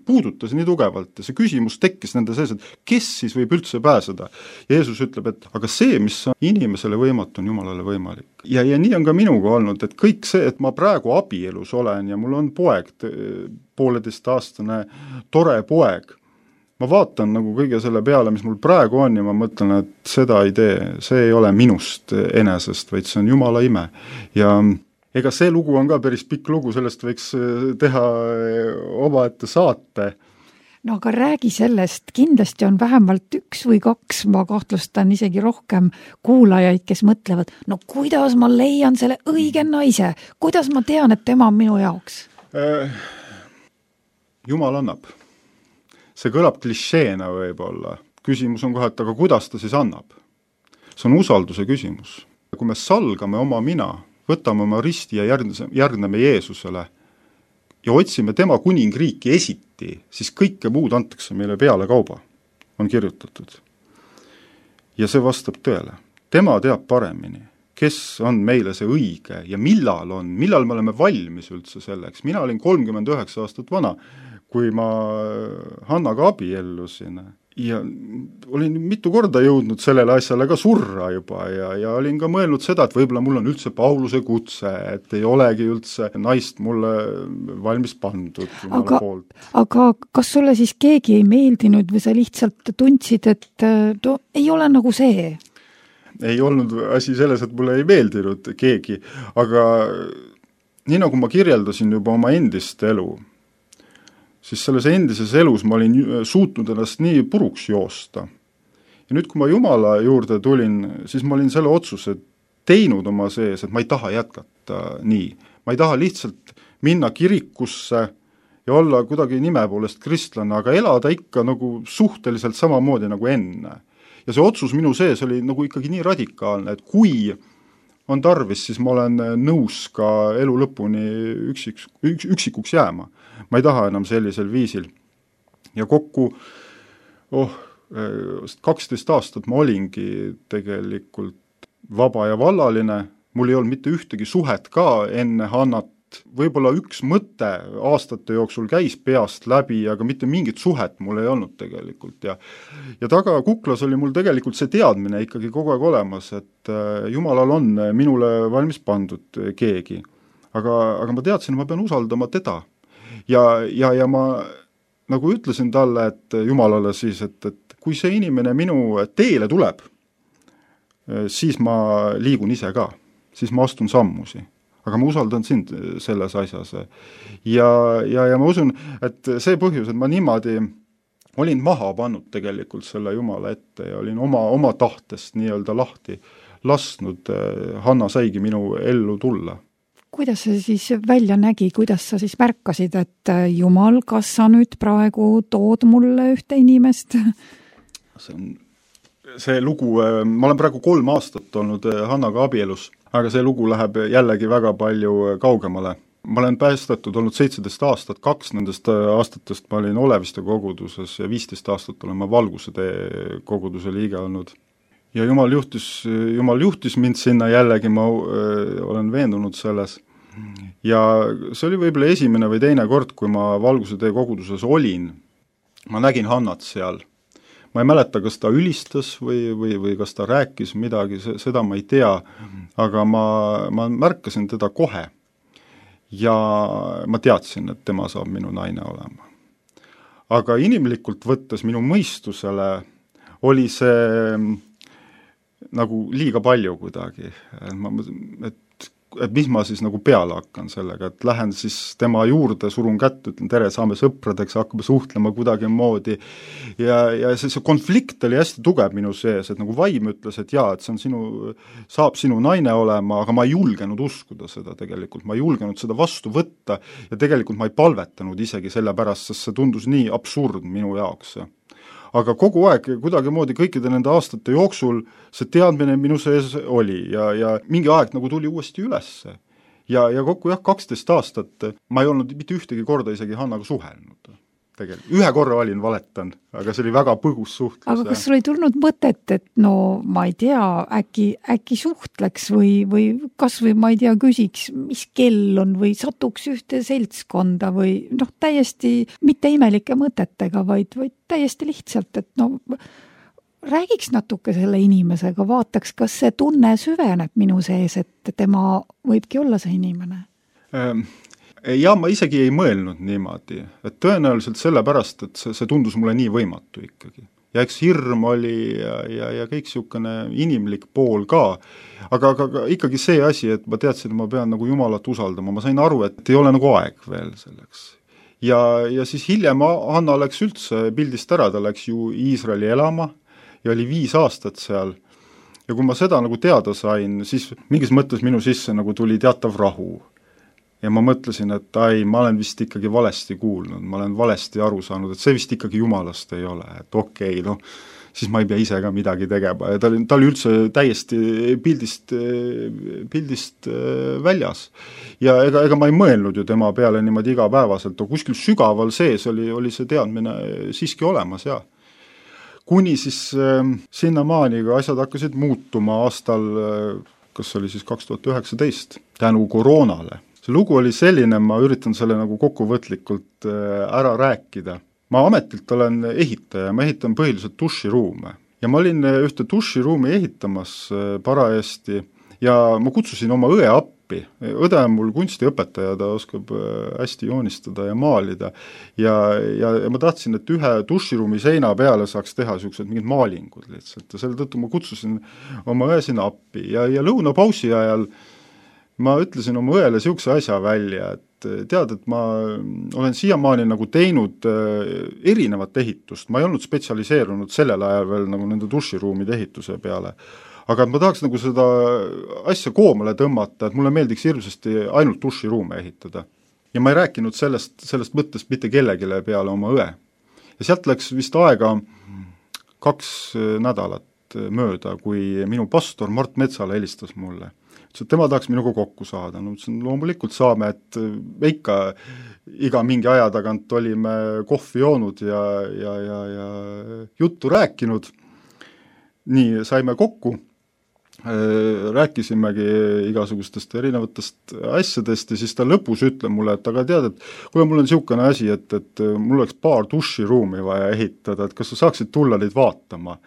puudutas nii tugevalt ja see küsimus tekkis nende sees, et kes siis võib üldse pääseda. Jeesus ütleb, et aga see, mis on inimesele võimatu, on Jumalale võimalik. Ja nii on ka minuga olnud, et kõik see, et ma praegu abielus olen ja mul on poeg, 1,5-aastane tore poeg, ma vaatan nagu kõige selle peale, mis mul praegu on ja ma mõtlen, et seda ei tee, see ei ole minust enesest, vaid see on Jumala ime. Ja ega see lugu on ka päris pikk lugu, sellest võiks teha omaette saate. No aga räägi sellest, kindlasti on vähemalt 1 või 2, ma kahtlustan isegi rohkem kuulajaid, kes mõtlevad, no kuidas ma leian selle õige naise, kuidas ma tean, et tema on minu jaoks? Jumal annab. See kõlab klišeena võib-olla. Küsimus on kohe, et aga kuidas ta siis annab? See on usalduse küsimus. Kui me salgame oma mina, võtame oma risti ja järgneme Jeesusele ja otsime tema kuningriiki esiti, siis kõike muud antakse meile peale kauba, on kirjutatud. Ja see vastab tõele. Tema teab paremini, kes on meile see õige ja millal me oleme valmis üldse selleks. Mina olin 39 aastat vana, kui ma Hannaga abiellusin ja olin mitu korda jõudnud sellele asjale ka surra juba ja olin ka mõelnud seda, et võib-olla mul on üldse Pauluse kutse, et ei olegi üldse naist mulle valmis pandud Jumala poolt. Aga kas sulle siis keegi ei meeldinud või sa lihtsalt tundsid, et ei ole nagu see? Ei olnud asi selles, et mulle ei meeldinud keegi, aga nii nagu ma kirjeldasin juba oma endist elu, siis selles endises elus ma olin suutnud ennast nii puruks joosta. Ja nüüd, kui ma Jumala juurde tulin, siis ma olin selle otsuse teinud oma sees, et ma ei taha jätkata nii. Ma ei taha lihtsalt minna kirikusse ja olla kuidagi nime poolest kristlane, aga elada ikka nagu suhteliselt samamoodi nagu enne. Ja see otsus minu sees oli nagu ikkagi nii radikaalne, et kui on tarvis, siis ma olen nõus ka elu lõpuni üksikuks jääma. Ma ei taha enam sellisel viisil. Ja kokku 12 aastat ma olingi tegelikult vaba ja vallaline, mul ei olnud mitte ühtegi suhet ka enne Hannat, võib-olla üks mõte aastate jooksul käis peast läbi, aga mitte mingit suhet mul ei olnud tegelikult. Ja taga kuklas oli mul tegelikult see teadmine ikkagi kogu aeg olemas, et Jumalal on minule valmis pandud keegi. Aga ma teadsin, et ma pean usaldama teda. Ja ma nagu ütlesin talle, et Jumalale siis, et kui see inimene minu teele tuleb, siis ma liigun ise ka, siis ma astun sammusi. Aga ma usaldan sind selles asjas. Ja ma usun, et see põhjus, et ma niimoodi olin maha pannud tegelikult selle Jumala ette ja olin oma tahtest nii-öelda lahti lasknud, Hanna saigi minu ellu tulla. Kuidas see siis välja nägi, kuidas sa siis märkasid, et Jumal, kas sa nüüd praegu tood mulle ühte inimest? See lugu, ma olen praegu 3 aastat olnud Hannaga abielus, aga see lugu läheb jällegi väga palju kaugemale. Ma olen päästetud olnud 17 aastat, 2 nendest aastatest ma olin Oleviste koguduses ja 15 aastat olen ma Valguse tee koguduse liige olnud. Ja Jumal juhtis mind sinna jällegi, ma olen veendunud selles. Ja see oli võib-olla esimene või teine kord, kui ma Valguse tee koguduses olin. Ma nägin Hannat seal. Ma ei mäleta, kas ta ülistas või kas ta rääkis midagi, seda ma ei tea, aga ma märkasin teda kohe ja ma teadsin, et tema saab minu naine olema. Aga inimlikult võttes minu mõistusele oli see nagu liiga palju kuidagi, et mis ma siis nagu peale hakkan sellega, et lähen siis tema juurde, surun kätt, ütlen tere, saame sõpradeks, hakkame suhtlema kuidagi moodi ja see konflikt oli hästi tugev minu sees, et nagu vaim ütles, et jaa, et see on saab sinu naine olema, aga ma ei julgenud uskuda seda tegelikult, ma ei julgenud seda vastu võtta ja tegelikult ma ei palvetanud isegi selle pärast, sest see tundus nii absurd minu jaoks. Aga kogu aeg kuidagi moodi kõikide nende aastate jooksul see teadmine minu sees oli ja mingi aeg nagu tuli uuesti ülesse. Ja kokku 12 aastat ma ei olnud mitte ühtegi korda isegi Hannaga suhelnud. Tegelikult. Ühe korra olin valetan, aga see oli väga põgus suhtlus. Aga kas sul ei tulnud mõtet, et no ma ei tea, äkki suhtleks või kas või ma ei tea, küsiks, mis kell on või satuks ühte seltskonda või täiesti mitte imelike mõtetega, vaid täiesti lihtsalt, et räägiks natuke selle inimesega, vaataks, kas see tunne süveneb minu sees, et tema võibki olla see inimene? Ja ma isegi ei mõelnud niimoodi, et tõenäoliselt sellepärast, et see tundus mulle nii võimatu ikkagi. Ja eks hirm oli ja kõik siukene inimlik pool ka, aga ikkagi see asi, et ma teadsin, et ma pean nagu Jumalat usaldama, ma sain aru, et ei ole nagu aeg veel selleks. Ja siis hiljem Hanna läks üldse pildist ära, ta läks ju Iisraeli elama ja oli 5 aastat seal. Ja kui ma seda nagu teada sain, siis mingis mõttes minu sisse nagu tuli teatav rahu. Ja ma mõtlesin, et ma olen vist ikkagi valesti kuulnud, ma olen valesti aru saanud, et see vist ikkagi Jumalast ei ole, et okei, siis ma ei pea ise ka midagi tegema ja ta oli üldse täiesti pildist väljas. Ja ega ma ei mõelnud ju tema peale niimoodi igapäevaselt, kuskil sügaval sees oli see teadmine siiski olemas, jah. Kuni siis sinnamaani, kui asjad hakkasid muutuma aastal, kas oli siis 2019, tänu koroonale. See lugu oli selline, ma üritan selle nagu kokkuvõtlikult ära rääkida. Ma ametilt olen ehitaja, ma ehitan põhiliselt duširuume ja ma olin ühte duširuumi ehitamas parajasti ja ma kutsusin oma õe appi. Õde on mul kunstiõpetaja, ta oskab hästi joonistada ja maalida ja ma tahtsin, et ühe duširuumi seina peale saaks teha sellised mingid maalingud lihtsalt ja selle tõttu ma kutsusin oma õe sinna appi ja lõunapausi ajal ma ütlesin oma õele siukse asja välja, et tead, et ma olen siiamaani nagu teinud erinevat ehitust, ma ei olnud spetsialiseerunud sellel ajal veel nagu nende duširuumide ehituse peale, aga ma tahaks nagu seda asja koomale tõmmata, et mulle meeldiks hirmsasti ainult duširuume ehitada. Ja ma ei rääkinud sellest mõttest mitte kellegile peale oma õe. Ja sealt läks vist aega 2 nädalat mööda, kui minu pastor Mart Metsala helistas mulle. Tema tahaks minuga kokku saada. No, loomulikult saame, et ikka iga mingi aja tagant olime kohvi joonud ja juttu rääkinud. Nii saime kokku, rääkisimegi igasugustest erinevatest asjadest ja siis ta lõpus ütleb mulle, et aga tead, et kuule, mul on siukene asi, et mul oleks paar duširuumi vaja ehitada, et kas sa saaksid tulla neid vaatama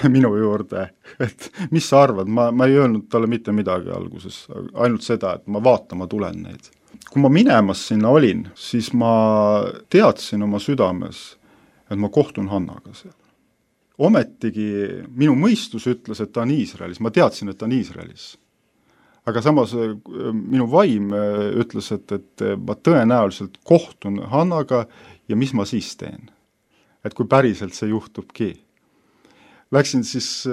minu juurde, et mis sa arvad, ma ei öelnud talle mitte midagi alguses, ainult seda, et ma vaatama tulen neid. Kui ma minemas sinna olin, siis ma teadsin oma südames, et ma kohtun Hannaga seal. Ometigi minu mõistus ütles, et ta on Iisraelis, ma teadsin, et ta on Iisraelis. Aga samas minu vaim ütles, et ma tõenäoliselt kohtun Hannaga ja mis ma siis teen. Et kui päriselt see juhtubki. Läksin siis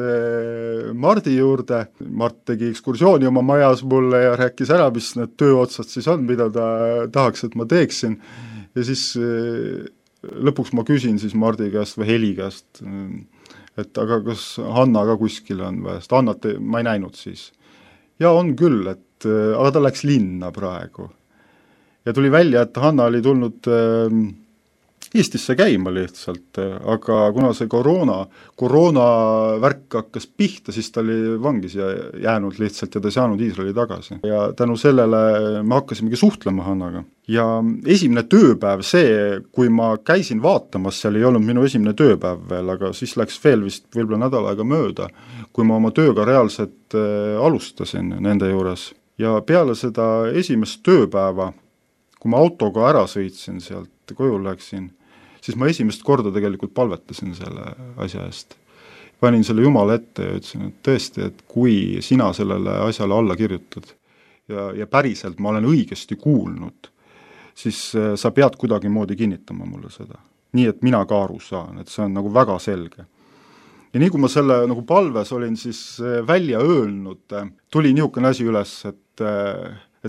Mardi juurde, Mart tegi ekskursiooni oma majas mulle ja rääkis ära, mis need tööotsad siis on, mida ta tahaks, et ma teeksin. Ja siis lõpuks ma küsin siis Mardi käest või Heli käest, et aga kas Hanna ka kuskil on või, sest Hannat ma ei näinud siis. Ja on küll, et aga ta läks linna praegu. Ja tuli välja, et Hanna oli tulnud Eestisse käima lihtsalt, aga kuna see koroona värk hakkas pihta, siis ta oli vangis ja jäänud lihtsalt ja ta ei saanud Iisraeli tagasi. Ja tänu sellele me hakkasimegi suhtlema Hannaga. Ja esimene tööpäev see, kui ma käisin vaatamas, seal ei olnud minu esimene tööpäev veel, aga siis läks veel vist võib-olla nädal aega mööda, kui ma oma tööga reaalselt alustasin nende juures. Ja peale seda esimest tööpäeva, kui ma autoga ära sõitsin sealt, koju läksin, siis ma esimest korda tegelikult palvetasin selle asja eest. Panin selle Jumala ette ja ütlesin, et tõesti, et kui sina sellele asjale alla kirjutad ja päriselt ma olen õigesti kuulnud, siis sa pead kuidagi moodi kinnitama mulle seda. Nii, et mina ka aru saan, et see on nagu väga selge. Ja nii kui ma selle nagu palves olin siis välja öelnud, tuli niisugune asi üles, et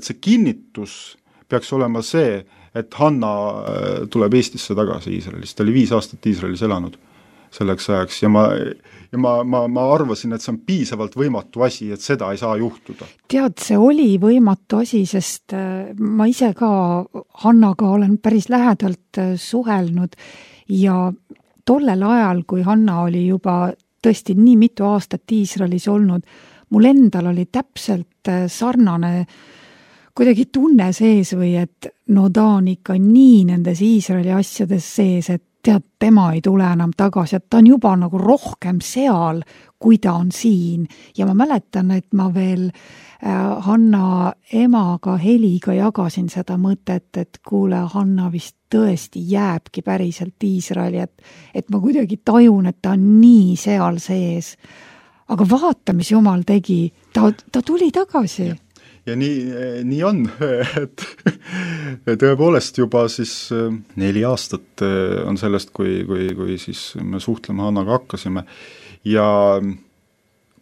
see kinnitus peaks olema see, et Hanna tuleb Eestisse tagasi Iisraelist. Ta oli 5 aastat Iisraelis elanud selleks ajaks ja ma arvasin, et see on piisavalt võimatu asi, et seda ei saa juhtuda. Tead, see oli võimatu asi, sest ma ise ka Hannaga olen päris lähedalt suhelnud ja tollel ajal, kui Hanna oli juba tõesti nii mitu aastat Iisraelis olnud, mul endal oli täpselt sarnane kuidagi tunne sees või et no ta on ikka nii nendes Iisraeli asjades sees, et tead, tema ei tule enam tagasi, et ta on juba nagu rohkem seal, kui ta on siin. Ja ma mäletan, et ma veel Hanna emaga Heliga jagasin seda mõtet, et kuule, Hanna vist tõesti jääbki päriselt Iisraeli, et ma kuidagi tajun, et ta on nii seal sees. Aga vaata, mis Jumal tegi, ta tuli tagasi. Ja nii on, et tõepoolest juba siis 4 aastat on sellest, kui siis me suhtlema Hannaga hakkasime ja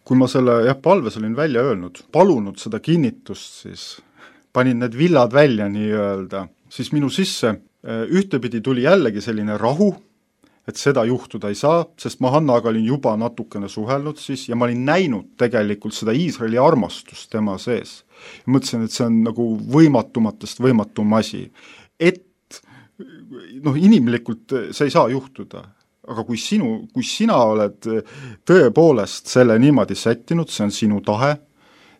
kui ma selle palves olin välja öelnud, palunud seda kinnitust, siis panin need villad välja nii öelda, siis minu sisse ühtepidi tuli jällegi selline rahu, et seda juhtuda ei saa, sest ma Hannaga olin juba natukene suhelnud siis ja ma olin näinud tegelikult seda Iisraeli armastust tema sees. Ja mõtlesin, et see on nagu võimatumatest võimatum asi. Et inimlikult see ei saa juhtuda, aga kui sina oled tõepoolest selle niimoodi sättinud, see on sinu tahe,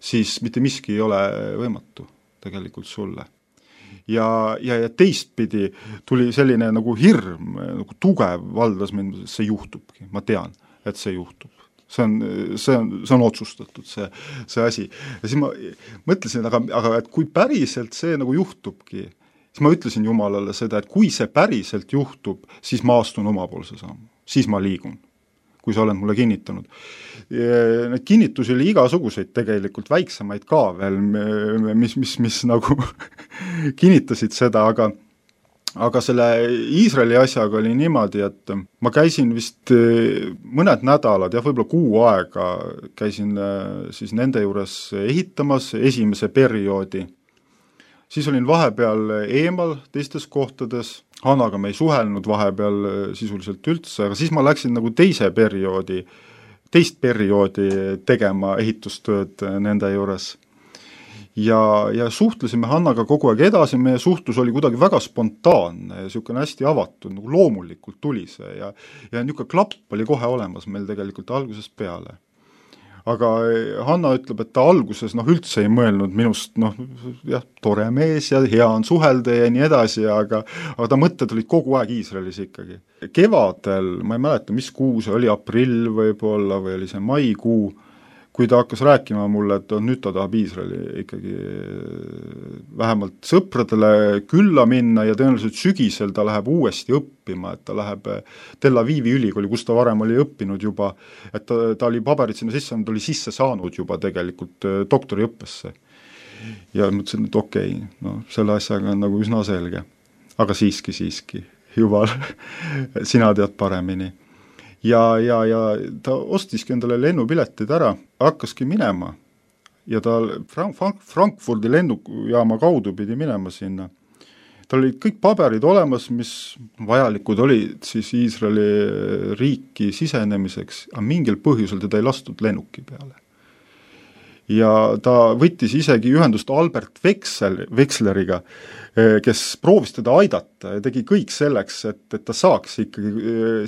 siis mitte miski ei ole võimatu tegelikult sulle. Ja teistpidi tuli selline nagu hirm, nagu tugev valdas mind, see juhtubki, ma tean, et see juhtub. See on otsustatud, see asi. Ja siis ma mõtlesin, aga et kui päriselt see nagu juhtubki, siis ma ütlesin Jumalale seda, et kui see päriselt juhtub, siis ma astun omapoolse sammu, siis ma liigun, kui sa oled mulle kinnitanud. Need kinnitusi oli igasuguseid tegelikult, väiksemaid ka veel, mis nagu kinnitasid seda, aga selle Iisraeli asjaga oli niimoodi, et ma käisin vist mõned nädalad, võib-olla kuu aega käisin siis nende juures ehitamas esimese perioodi. Siis olin vahepeal eemal teistes kohtades, Hannaga me ei suhelnud vahepeal sisuliselt üldse, aga siis ma läksin nagu teist perioodi tegema ehitustööd nende juures. Ja suhtlesime Hannaga kogu aeg edasi, meie suhtlus oli kuidagi väga spontaanne ja niisugune hästi avatud, nagu loomulikult tuli see ja niisugune klapp oli kohe olemas meil tegelikult algusest peale. Aga Hanna ütleb, et ta alguses üldse ei mõelnud minust, tore mees ja hea on suhelda ja nii edasi, aga ta mõtted olid kogu aeg Iisraelis ikkagi. Kevadel, ma ei mäleta, mis kuu see oli, aprill võib-olla või oli see maikuu, kui ta hakkas rääkima mulle, et nüüd ta tahab Iisraeli ikkagi vähemalt sõpradele külla minna ja tõenäoliselt sügisel ta läheb uuesti õppima, et ta läheb Tel Avivi ülikooli, kus ta varem oli õppinud juba, et ta oli paberid sinna sisse, ta oli sisse saanud juba tegelikult doktoriõppesse. Ja mõtlesin, et okei, selle asjaga on nagu üsna selge. Aga siiski, Jumal, sina tead paremini. Ja ta ostiski endale lennupiletid ära, hakkaski minema ja ta Frankfurdi lennujaama kaudu pidi minema sinna. Tal olid kõik paberid olemas, mis vajalikud olid siis Iisraeli riiki sisenemiseks, aga mingil põhjusel teda ei lastud lennuki peale. Ja ta võttis isegi ühendust Albert Wexleriga, kes proovis teda aidata ja tegi kõik selleks, et ta saaks ikkagi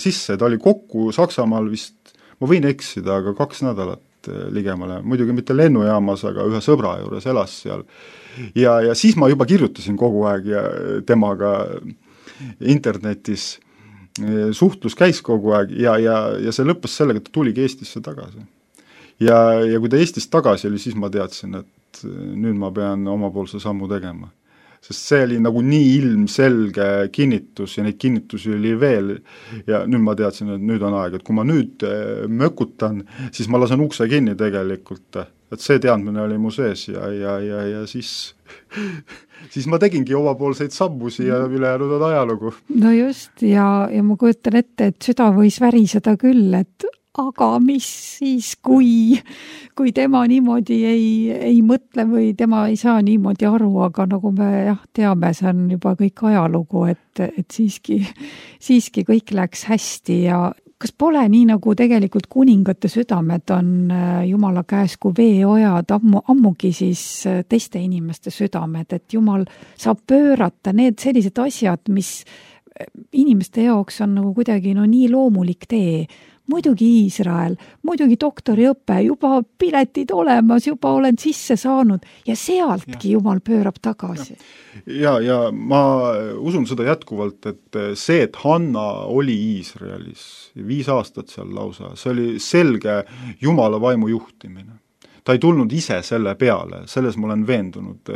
sisse. Ta oli kokku Saksamaal vist, ma võin eksida, aga 2 nädalat ligemale, muidugi mitte lennujaamas, aga ühe sõbra juures elas seal. Ja siis ma juba kirjutasin kogu aeg ja temaga internetis suhtlus käis kogu aeg ja see lõppes sellega, et ta tuligi Eestisse tagasi. Ja kui ta Eestist tagasi oli, siis ma teadsin, et nüüd ma pean omapoolse sammu tegema. Sest see oli nagu nii ilmselge kinnitus ja neid kinnitusi oli veel ja nüüd ma teadsin, et nüüd on aeg, et kui ma nüüd mökutan, siis ma lasen ukse kinni tegelikult, et see teadmine oli mu sees ja siis ma tegingi omapoolseid sammusi ja ülejäänud on ajalugu. No just ja ma kujutan ette, et süda võis väriseda küll, et aga mis siis, kui tema niimoodi ei mõtle või tema ei saa niimoodi aru, aga nagu me teame, see on juba kõik ajalugu, et siiski kõik läks hästi ja kas pole nii, nagu tegelikult kuningate südamed on Jumala käes kui veeojad, ammugi siis teiste inimeste südamed, et Jumal saab pöörata need sellised asjad, mis inimeste jaoks on nagu kuidagi nii loomulik tee. Muidugi Iisrael, muidugi doktoriõpe, juba piletid olemas, juba olen sisse saanud ja sealtki Jumal pöörab tagasi. Ja ma usun seda jätkuvalt, et see, et Hanna oli Iisraelis 5 aastat seal lausa, see oli selge Jumala vaimu juhtimine. Ta ei tulnud ise selle peale, selles ma olen veendunud.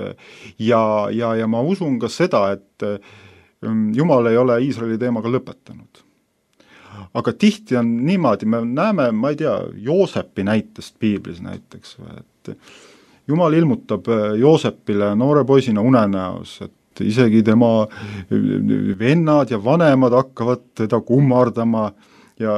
Ja ma usun ka seda, et Jumal ei ole Iisraeli teemaga lõpetanud. Aga tihti on niimoodi, me näeme, ma ei tea, Joosepi näitest piiblis näiteks, et Jumal ilmutab Joosepile noore poisina unenäos, et isegi tema vennad ja vanemad hakkavad teda kummardama ja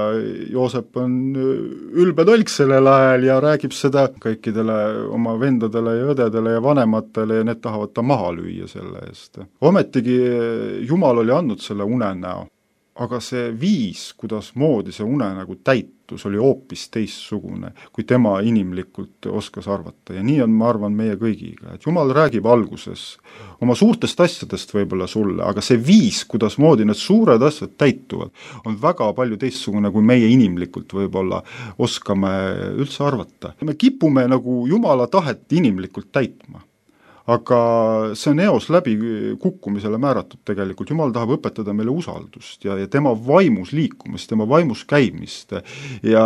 Joosep on ülbe tolk sellel ajal ja räägib seda kõikidele oma vendadele ja õdedele ja vanematele ja need tahavad ta maha lüüa selle eest. Ometigi Jumal oli andnud selle unenäo. aga see viis, kuidas moodi see unenägu täitus, oli hoopis teistsugune, kui tema inimlikult oskas arvata. Ja nii on, ma arvan, meie kõigiga, et Jumal räägib alguses oma suurtest asjadest võib-olla sulle, aga see viis, kuidas moodi need suured asjad täituvad, on väga palju teistsugune, kui meie inimlikult võib-olla oskame üldse arvata. Me kipume nagu Jumala tahet inimlikult täitma. Aga see on eos läbi kukkumisele määratud tegelikult. Jumal tahab õpetada meile usaldust ja tema vaimus liikumist, tema vaimus käimist ja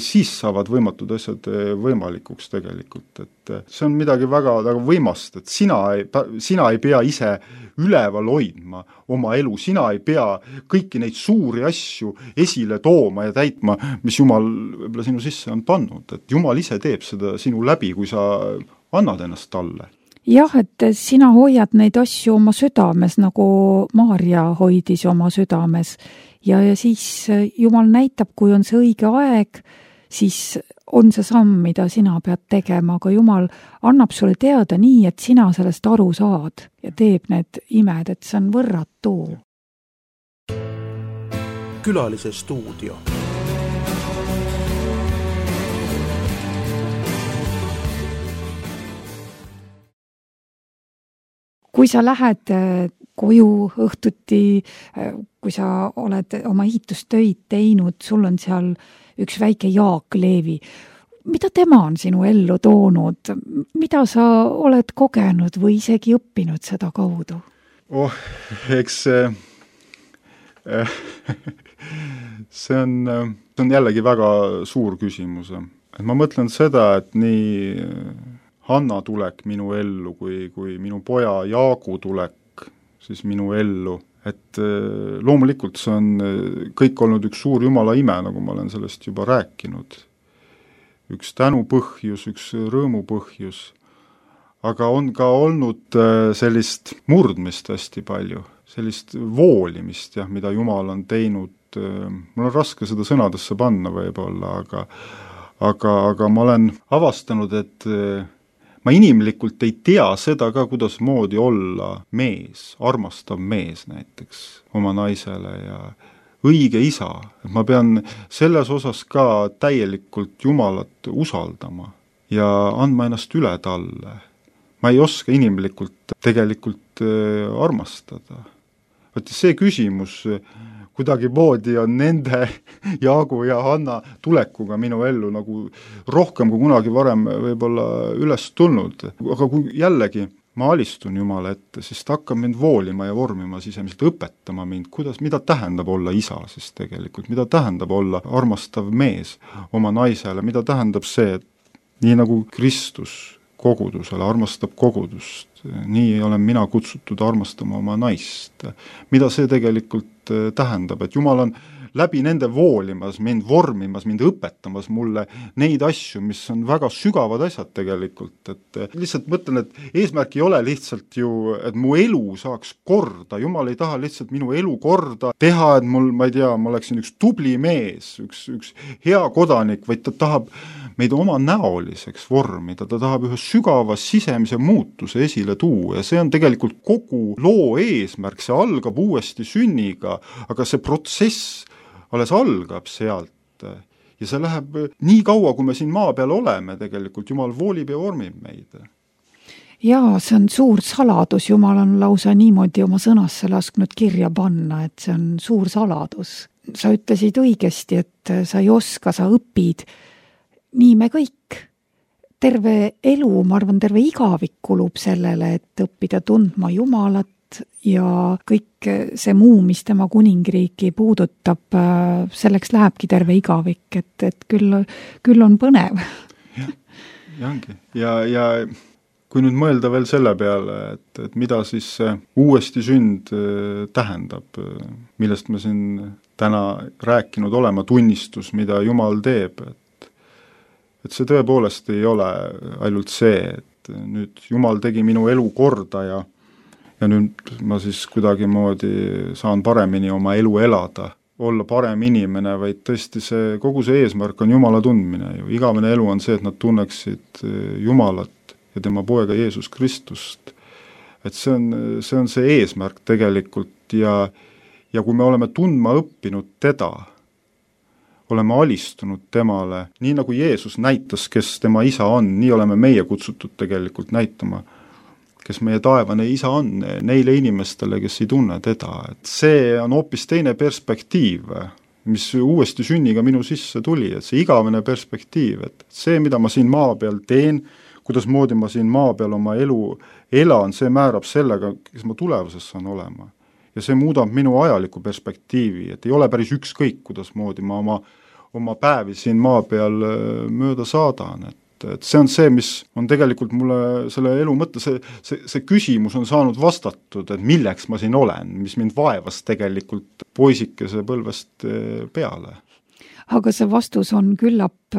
siis saavad võimatud asjad võimalikuks tegelikult. Et see on midagi väga võimast, et sina ei pea ise üleval hoidma oma elu, sina ei pea kõiki neid suuri asju esile tooma ja täitma, mis Jumal võib-olla sinu sisse on pannud. Et Jumal ise teeb seda sinu läbi, kui sa annad ennast talle. Jah, et sina hoiad neid asju oma südames, nagu Maarja hoidis oma südames ja siis Jumal näitab, kui on see õige aeg, siis on see samm, mida sina pead tegema, aga Jumal annab sulle teada nii, et sina sellest aru saad ja teeb need imed, et see on võrratu. Külalise stuudio. Kui sa lähed koju õhtuti, kui sa oled oma ehitustöid teinud, sul on seal üks väike Jaak Leevi. Mida tema on sinu ellu toonud? Mida sa oled kogenud või isegi õppinud seda kaudu? Eks see on jällegi väga suur küsimus. Et ma mõtlen seda, et nii Hanna tulek minu ellu kui minu poja Jaagu tulek siis minu ellu, et loomulikult see on kõik olnud üks suur Jumala ime, nagu ma olen sellest juba rääkinud. Üks tänupõhjus, üks rõõmupõhjus, aga on ka olnud sellist murdmist hästi palju, sellist voolimist, mida Jumal on teinud. Mul on raske seda sõnadesse panna võib-olla, aga ma olen avastanud, et ma inimlikult ei tea seda ka, kuidas moodi olla mees, armastav mees näiteks oma naisele ja õige isa. Ma pean selles osas ka täielikult Jumalat usaldama ja andma ennast üle talle. Ma ei oska inimlikult tegelikult armastada. See küsimus kuidagi moodi on nende Jaagu ja Hanna tulekuga minu ellu nagu rohkem kui kunagi varem võib-olla üles tulnud. Aga kui jällegi ma alistun Jumala ette, siis ta hakkab mind voolima ja vormima sisemiselt, õpetama mind, mida tähendab olla isa siis tegelikult, mida tähendab olla armastav mees oma naisele, mida tähendab see, et nii nagu Kristus kogudusele armastab kogudust, nii olen mina kutsutud armastama oma naist. Mida see tegelikult tähendab, et Jumal on läbi nende voolimas, mind vormimas, mind õpetamas mulle neid asju, mis on väga sügavad asjad tegelikult, et lihtsalt mõtlen, et eesmärk ei ole lihtsalt ju, et mu elu saaks korda, Jumal ei taha lihtsalt minu elu korda teha, et mul, ma ei tea, ma oleksin üks tubli mees, üks hea kodanik, vaid ta tahab meid oma näoliseks vormida, ta tahab ühe sügava sisemise muutuse esile tuua ja see on tegelikult kogu loo eesmärk, see algab uuesti sünniga, aga see protsess alles algab sealt ja see läheb nii kaua, kui me siin maa peal oleme tegelikult, Jumal voolib ja vormib meid. Jaa, see on suur saladus, Jumal on lausa niimoodi oma sõnasse lasknud kirja panna, et see on suur saladus. Sa ütlesid õigesti, et sa ei oska, sa õpid. Nii me kõik. Terve elu, ma arvan, terve igavik kulub sellele, et õppida tundma Jumalat ja kõik see muu, mis tema kuningriiki puudutab, selleks lähebki terve igavik, et küll on põnev. Ja ongi. Ja kui nüüd mõelda veel selle peale, et mida siis uuesti sünd tähendab, millest me siin täna rääkinud olema, tunnistus, mida Jumal teeb, et see tõepoolest ei ole ainult see, et nüüd Jumal tegi minu elu korda ja nüüd ma siis kuidagi moodi saan paremini oma elu elada, olla parem inimene, vaid tõesti kogu see eesmärk on Jumala tundmine ju. Igavene elu on see, et nad tunneksid Jumalat ja tema poega Jeesus Kristust. Et see on see eesmärk tegelikult ja ja kui me oleme tundma õppinud teda, oleme alistunud temale, nii nagu Jeesus näitas, kes tema isa on, nii oleme meie kutsutud tegelikult näitama, kes meie taevane isa on neile inimestele, kes ei tunne teda. Et see on hoopis teine perspektiiv, mis uuesti sünniga minu sisse tuli, et see igavene perspektiiv, et see, mida ma siin maa peal teen, kuidas moodi ma siin maa peal oma elu elan, see määrab sellega, kes ma tulevases saan olema. Ja see muudab minu ajalikku perspektiivi, et ei ole päris ükskõik, kuidas moodi ma oma päevi siin maa peal mööda saadan, et see on see, mis on tegelikult mulle selle elu mõtte, see küsimus on saanud vastatud, et milleks ma siin olen, mis mind vaevas tegelikult poisikese põlvest peale. Aga see vastus on küllap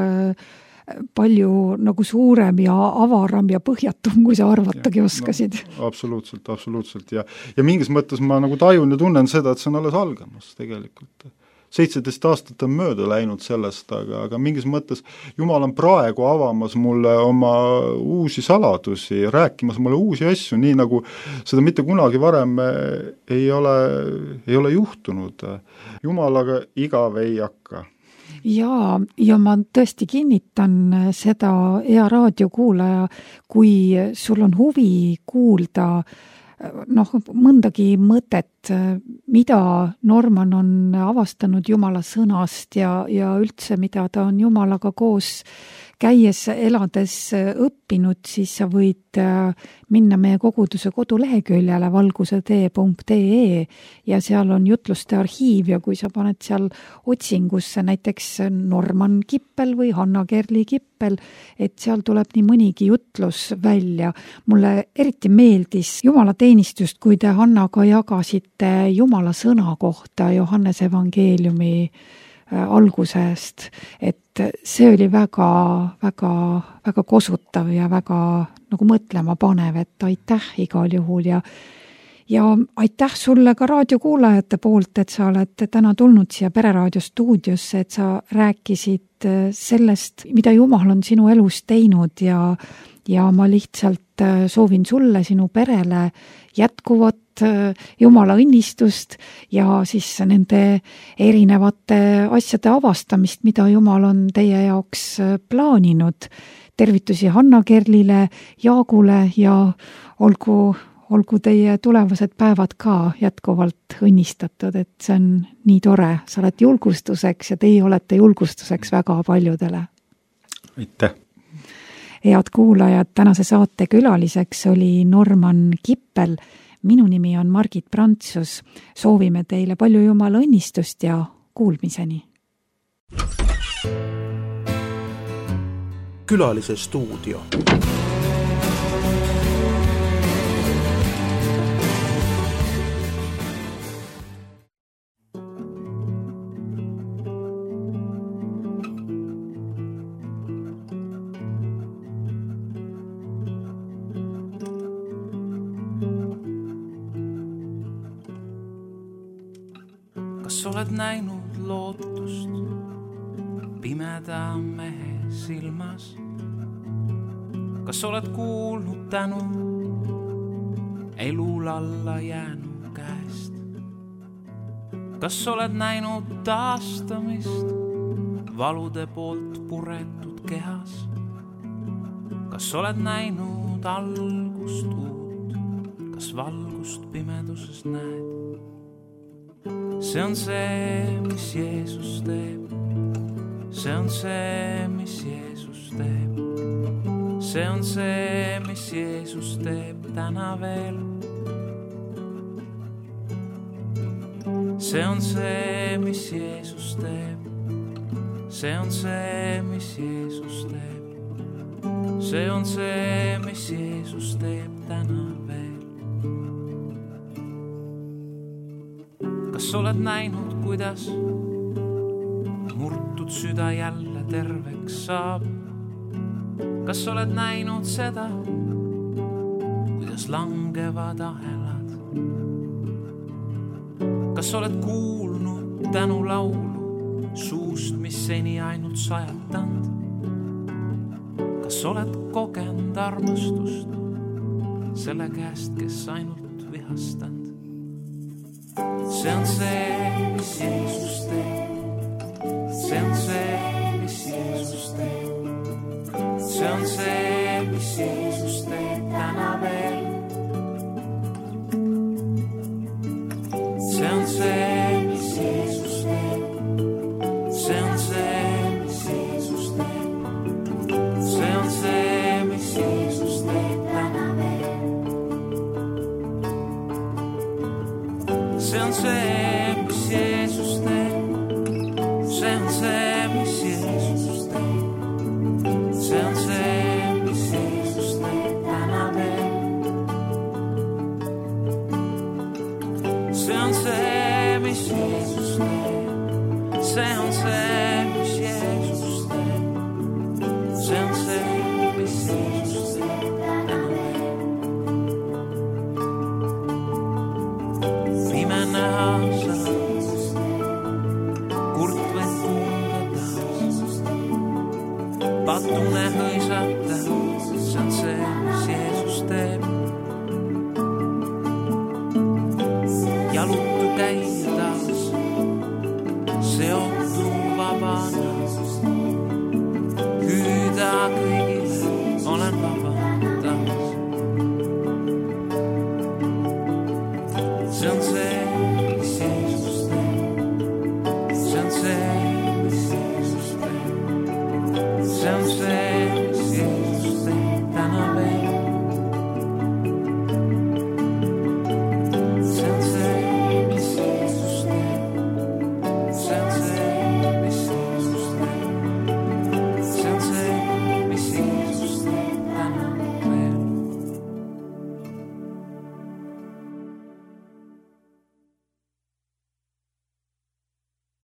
palju nagu suurem ja avaram ja põhjatum, kui sa arvatagi oskasid. No, absoluutselt. Ja mingis mõttes ma nagu tajun ja tunnen seda, et see on alles algamas tegelikult. 17 aastat on mööda läinud sellest, aga mingis mõttes Jumal on praegu avamas mulle oma uusi saladusi, rääkimas mulle uusi asju, nii nagu seda mitte kunagi varem ei ole juhtunud. Jumalaga igav ei hakka. Ja ma tõesti kinnitan seda, hea raadiokuulaja, kui sul on huvi kuulda mõndagi mõtet, mida Norman on avastanud Jumala sõnast ja üldse, mida ta on Jumalaga koos käies, elades õppinud, siis sa võid minna meie koguduse koduleheküljele valgusetee.ee ja seal on jutluste arhiiv ja kui sa paned seal otsingusse näiteks Norman Kippel või Hanna Kerli Kippel, et seal tuleb nii mõnigi jutlus välja. Mulle eriti meeldis jumalateenistust, kui te Hannaga jagasite Jumala sõna kohta Johannese evangeeliumi algusest, et see oli väga, väga, väga kosutav ja väga nagu mõtlema panev, et aitäh igal juhul ja aitäh sulle ka raadiokuulajate poolt, et sa oled täna tulnud siia Pereraadio stuudiosse, et sa rääkisid sellest, mida Jumal on sinu elus teinud ja ma lihtsalt soovin sulle, sinu perele jätkuvat Jumala õnnistust ja siis nende erinevate asjade avastamist, mida Jumal on teie jaoks plaaninud. Tervitusi Hanna Kerlile, Jaagule ja olgu teie tulevased päevad ka jätkuvalt õnnistatud, et see on nii tore. Sa oled julgustuseks ja teie olete julgustuseks väga paljudele. Aitäh! Head kuulajad, tänase saate külaliseks oli Norman Kippel. Minu nimi on Margit Prantsus. Soovime teile palju Jumala õnnistust ja kuulmiseni. Külalise stuudio. Kas oled näinud lootust pimeda mehe silmas? Kas oled kuulnud tänu elul alla jäänu käest? Kas oled näinud taastamist valude poolt puretud kehas? Kas oled näinud algust uut? Kas valgust pimeduses näed? See on see, mis Jeesus teeb. See on see, mis Jeesus teeb. See on see, mis Jeesus teeb täna veel. See on see, mis Jeesus teeb. See on see, mis Jeesus teeb. See on see, mis Jeesus teeb täna veel. Kas oled näinud, kuidas murtud süda jälle terveks saab? Kas oled näinud seda, kuidas langevad ahelad? Kas oled kuulnud tänulaulu suust, mis seni ainult sajatanud? Kas oled kogenud armastust selle käest, kes ainult vihastanud? see on see, mis Jeesus teeb. See on see, mis Jeesus teeb. See on see, mis Jeesus teeb täna veel. See on see, mis Jeesus teeb. See on see, mis Jeesus teeb. See on see, mis Jeesus teeb täna veel. See on see, mis Jeesus teeb. See on see, mis Jeesus teeb. See on see, mis Jeesus teeb täna veel. See on see, mis Jeesus teeb. See on see, mis Jeesus teeb. See on see, mis Jeesus teeb täna veel. Pime näha sa, kurt võid tunda taas. Patune hõisata, see on see, mis Jeesus teeb. Jalutu käia taas, seotu vabana. Hüüda kõigile, olen vaba taas. See on see, mis Jeesus teeb. See on see, mis Jeesus teeb. See on see,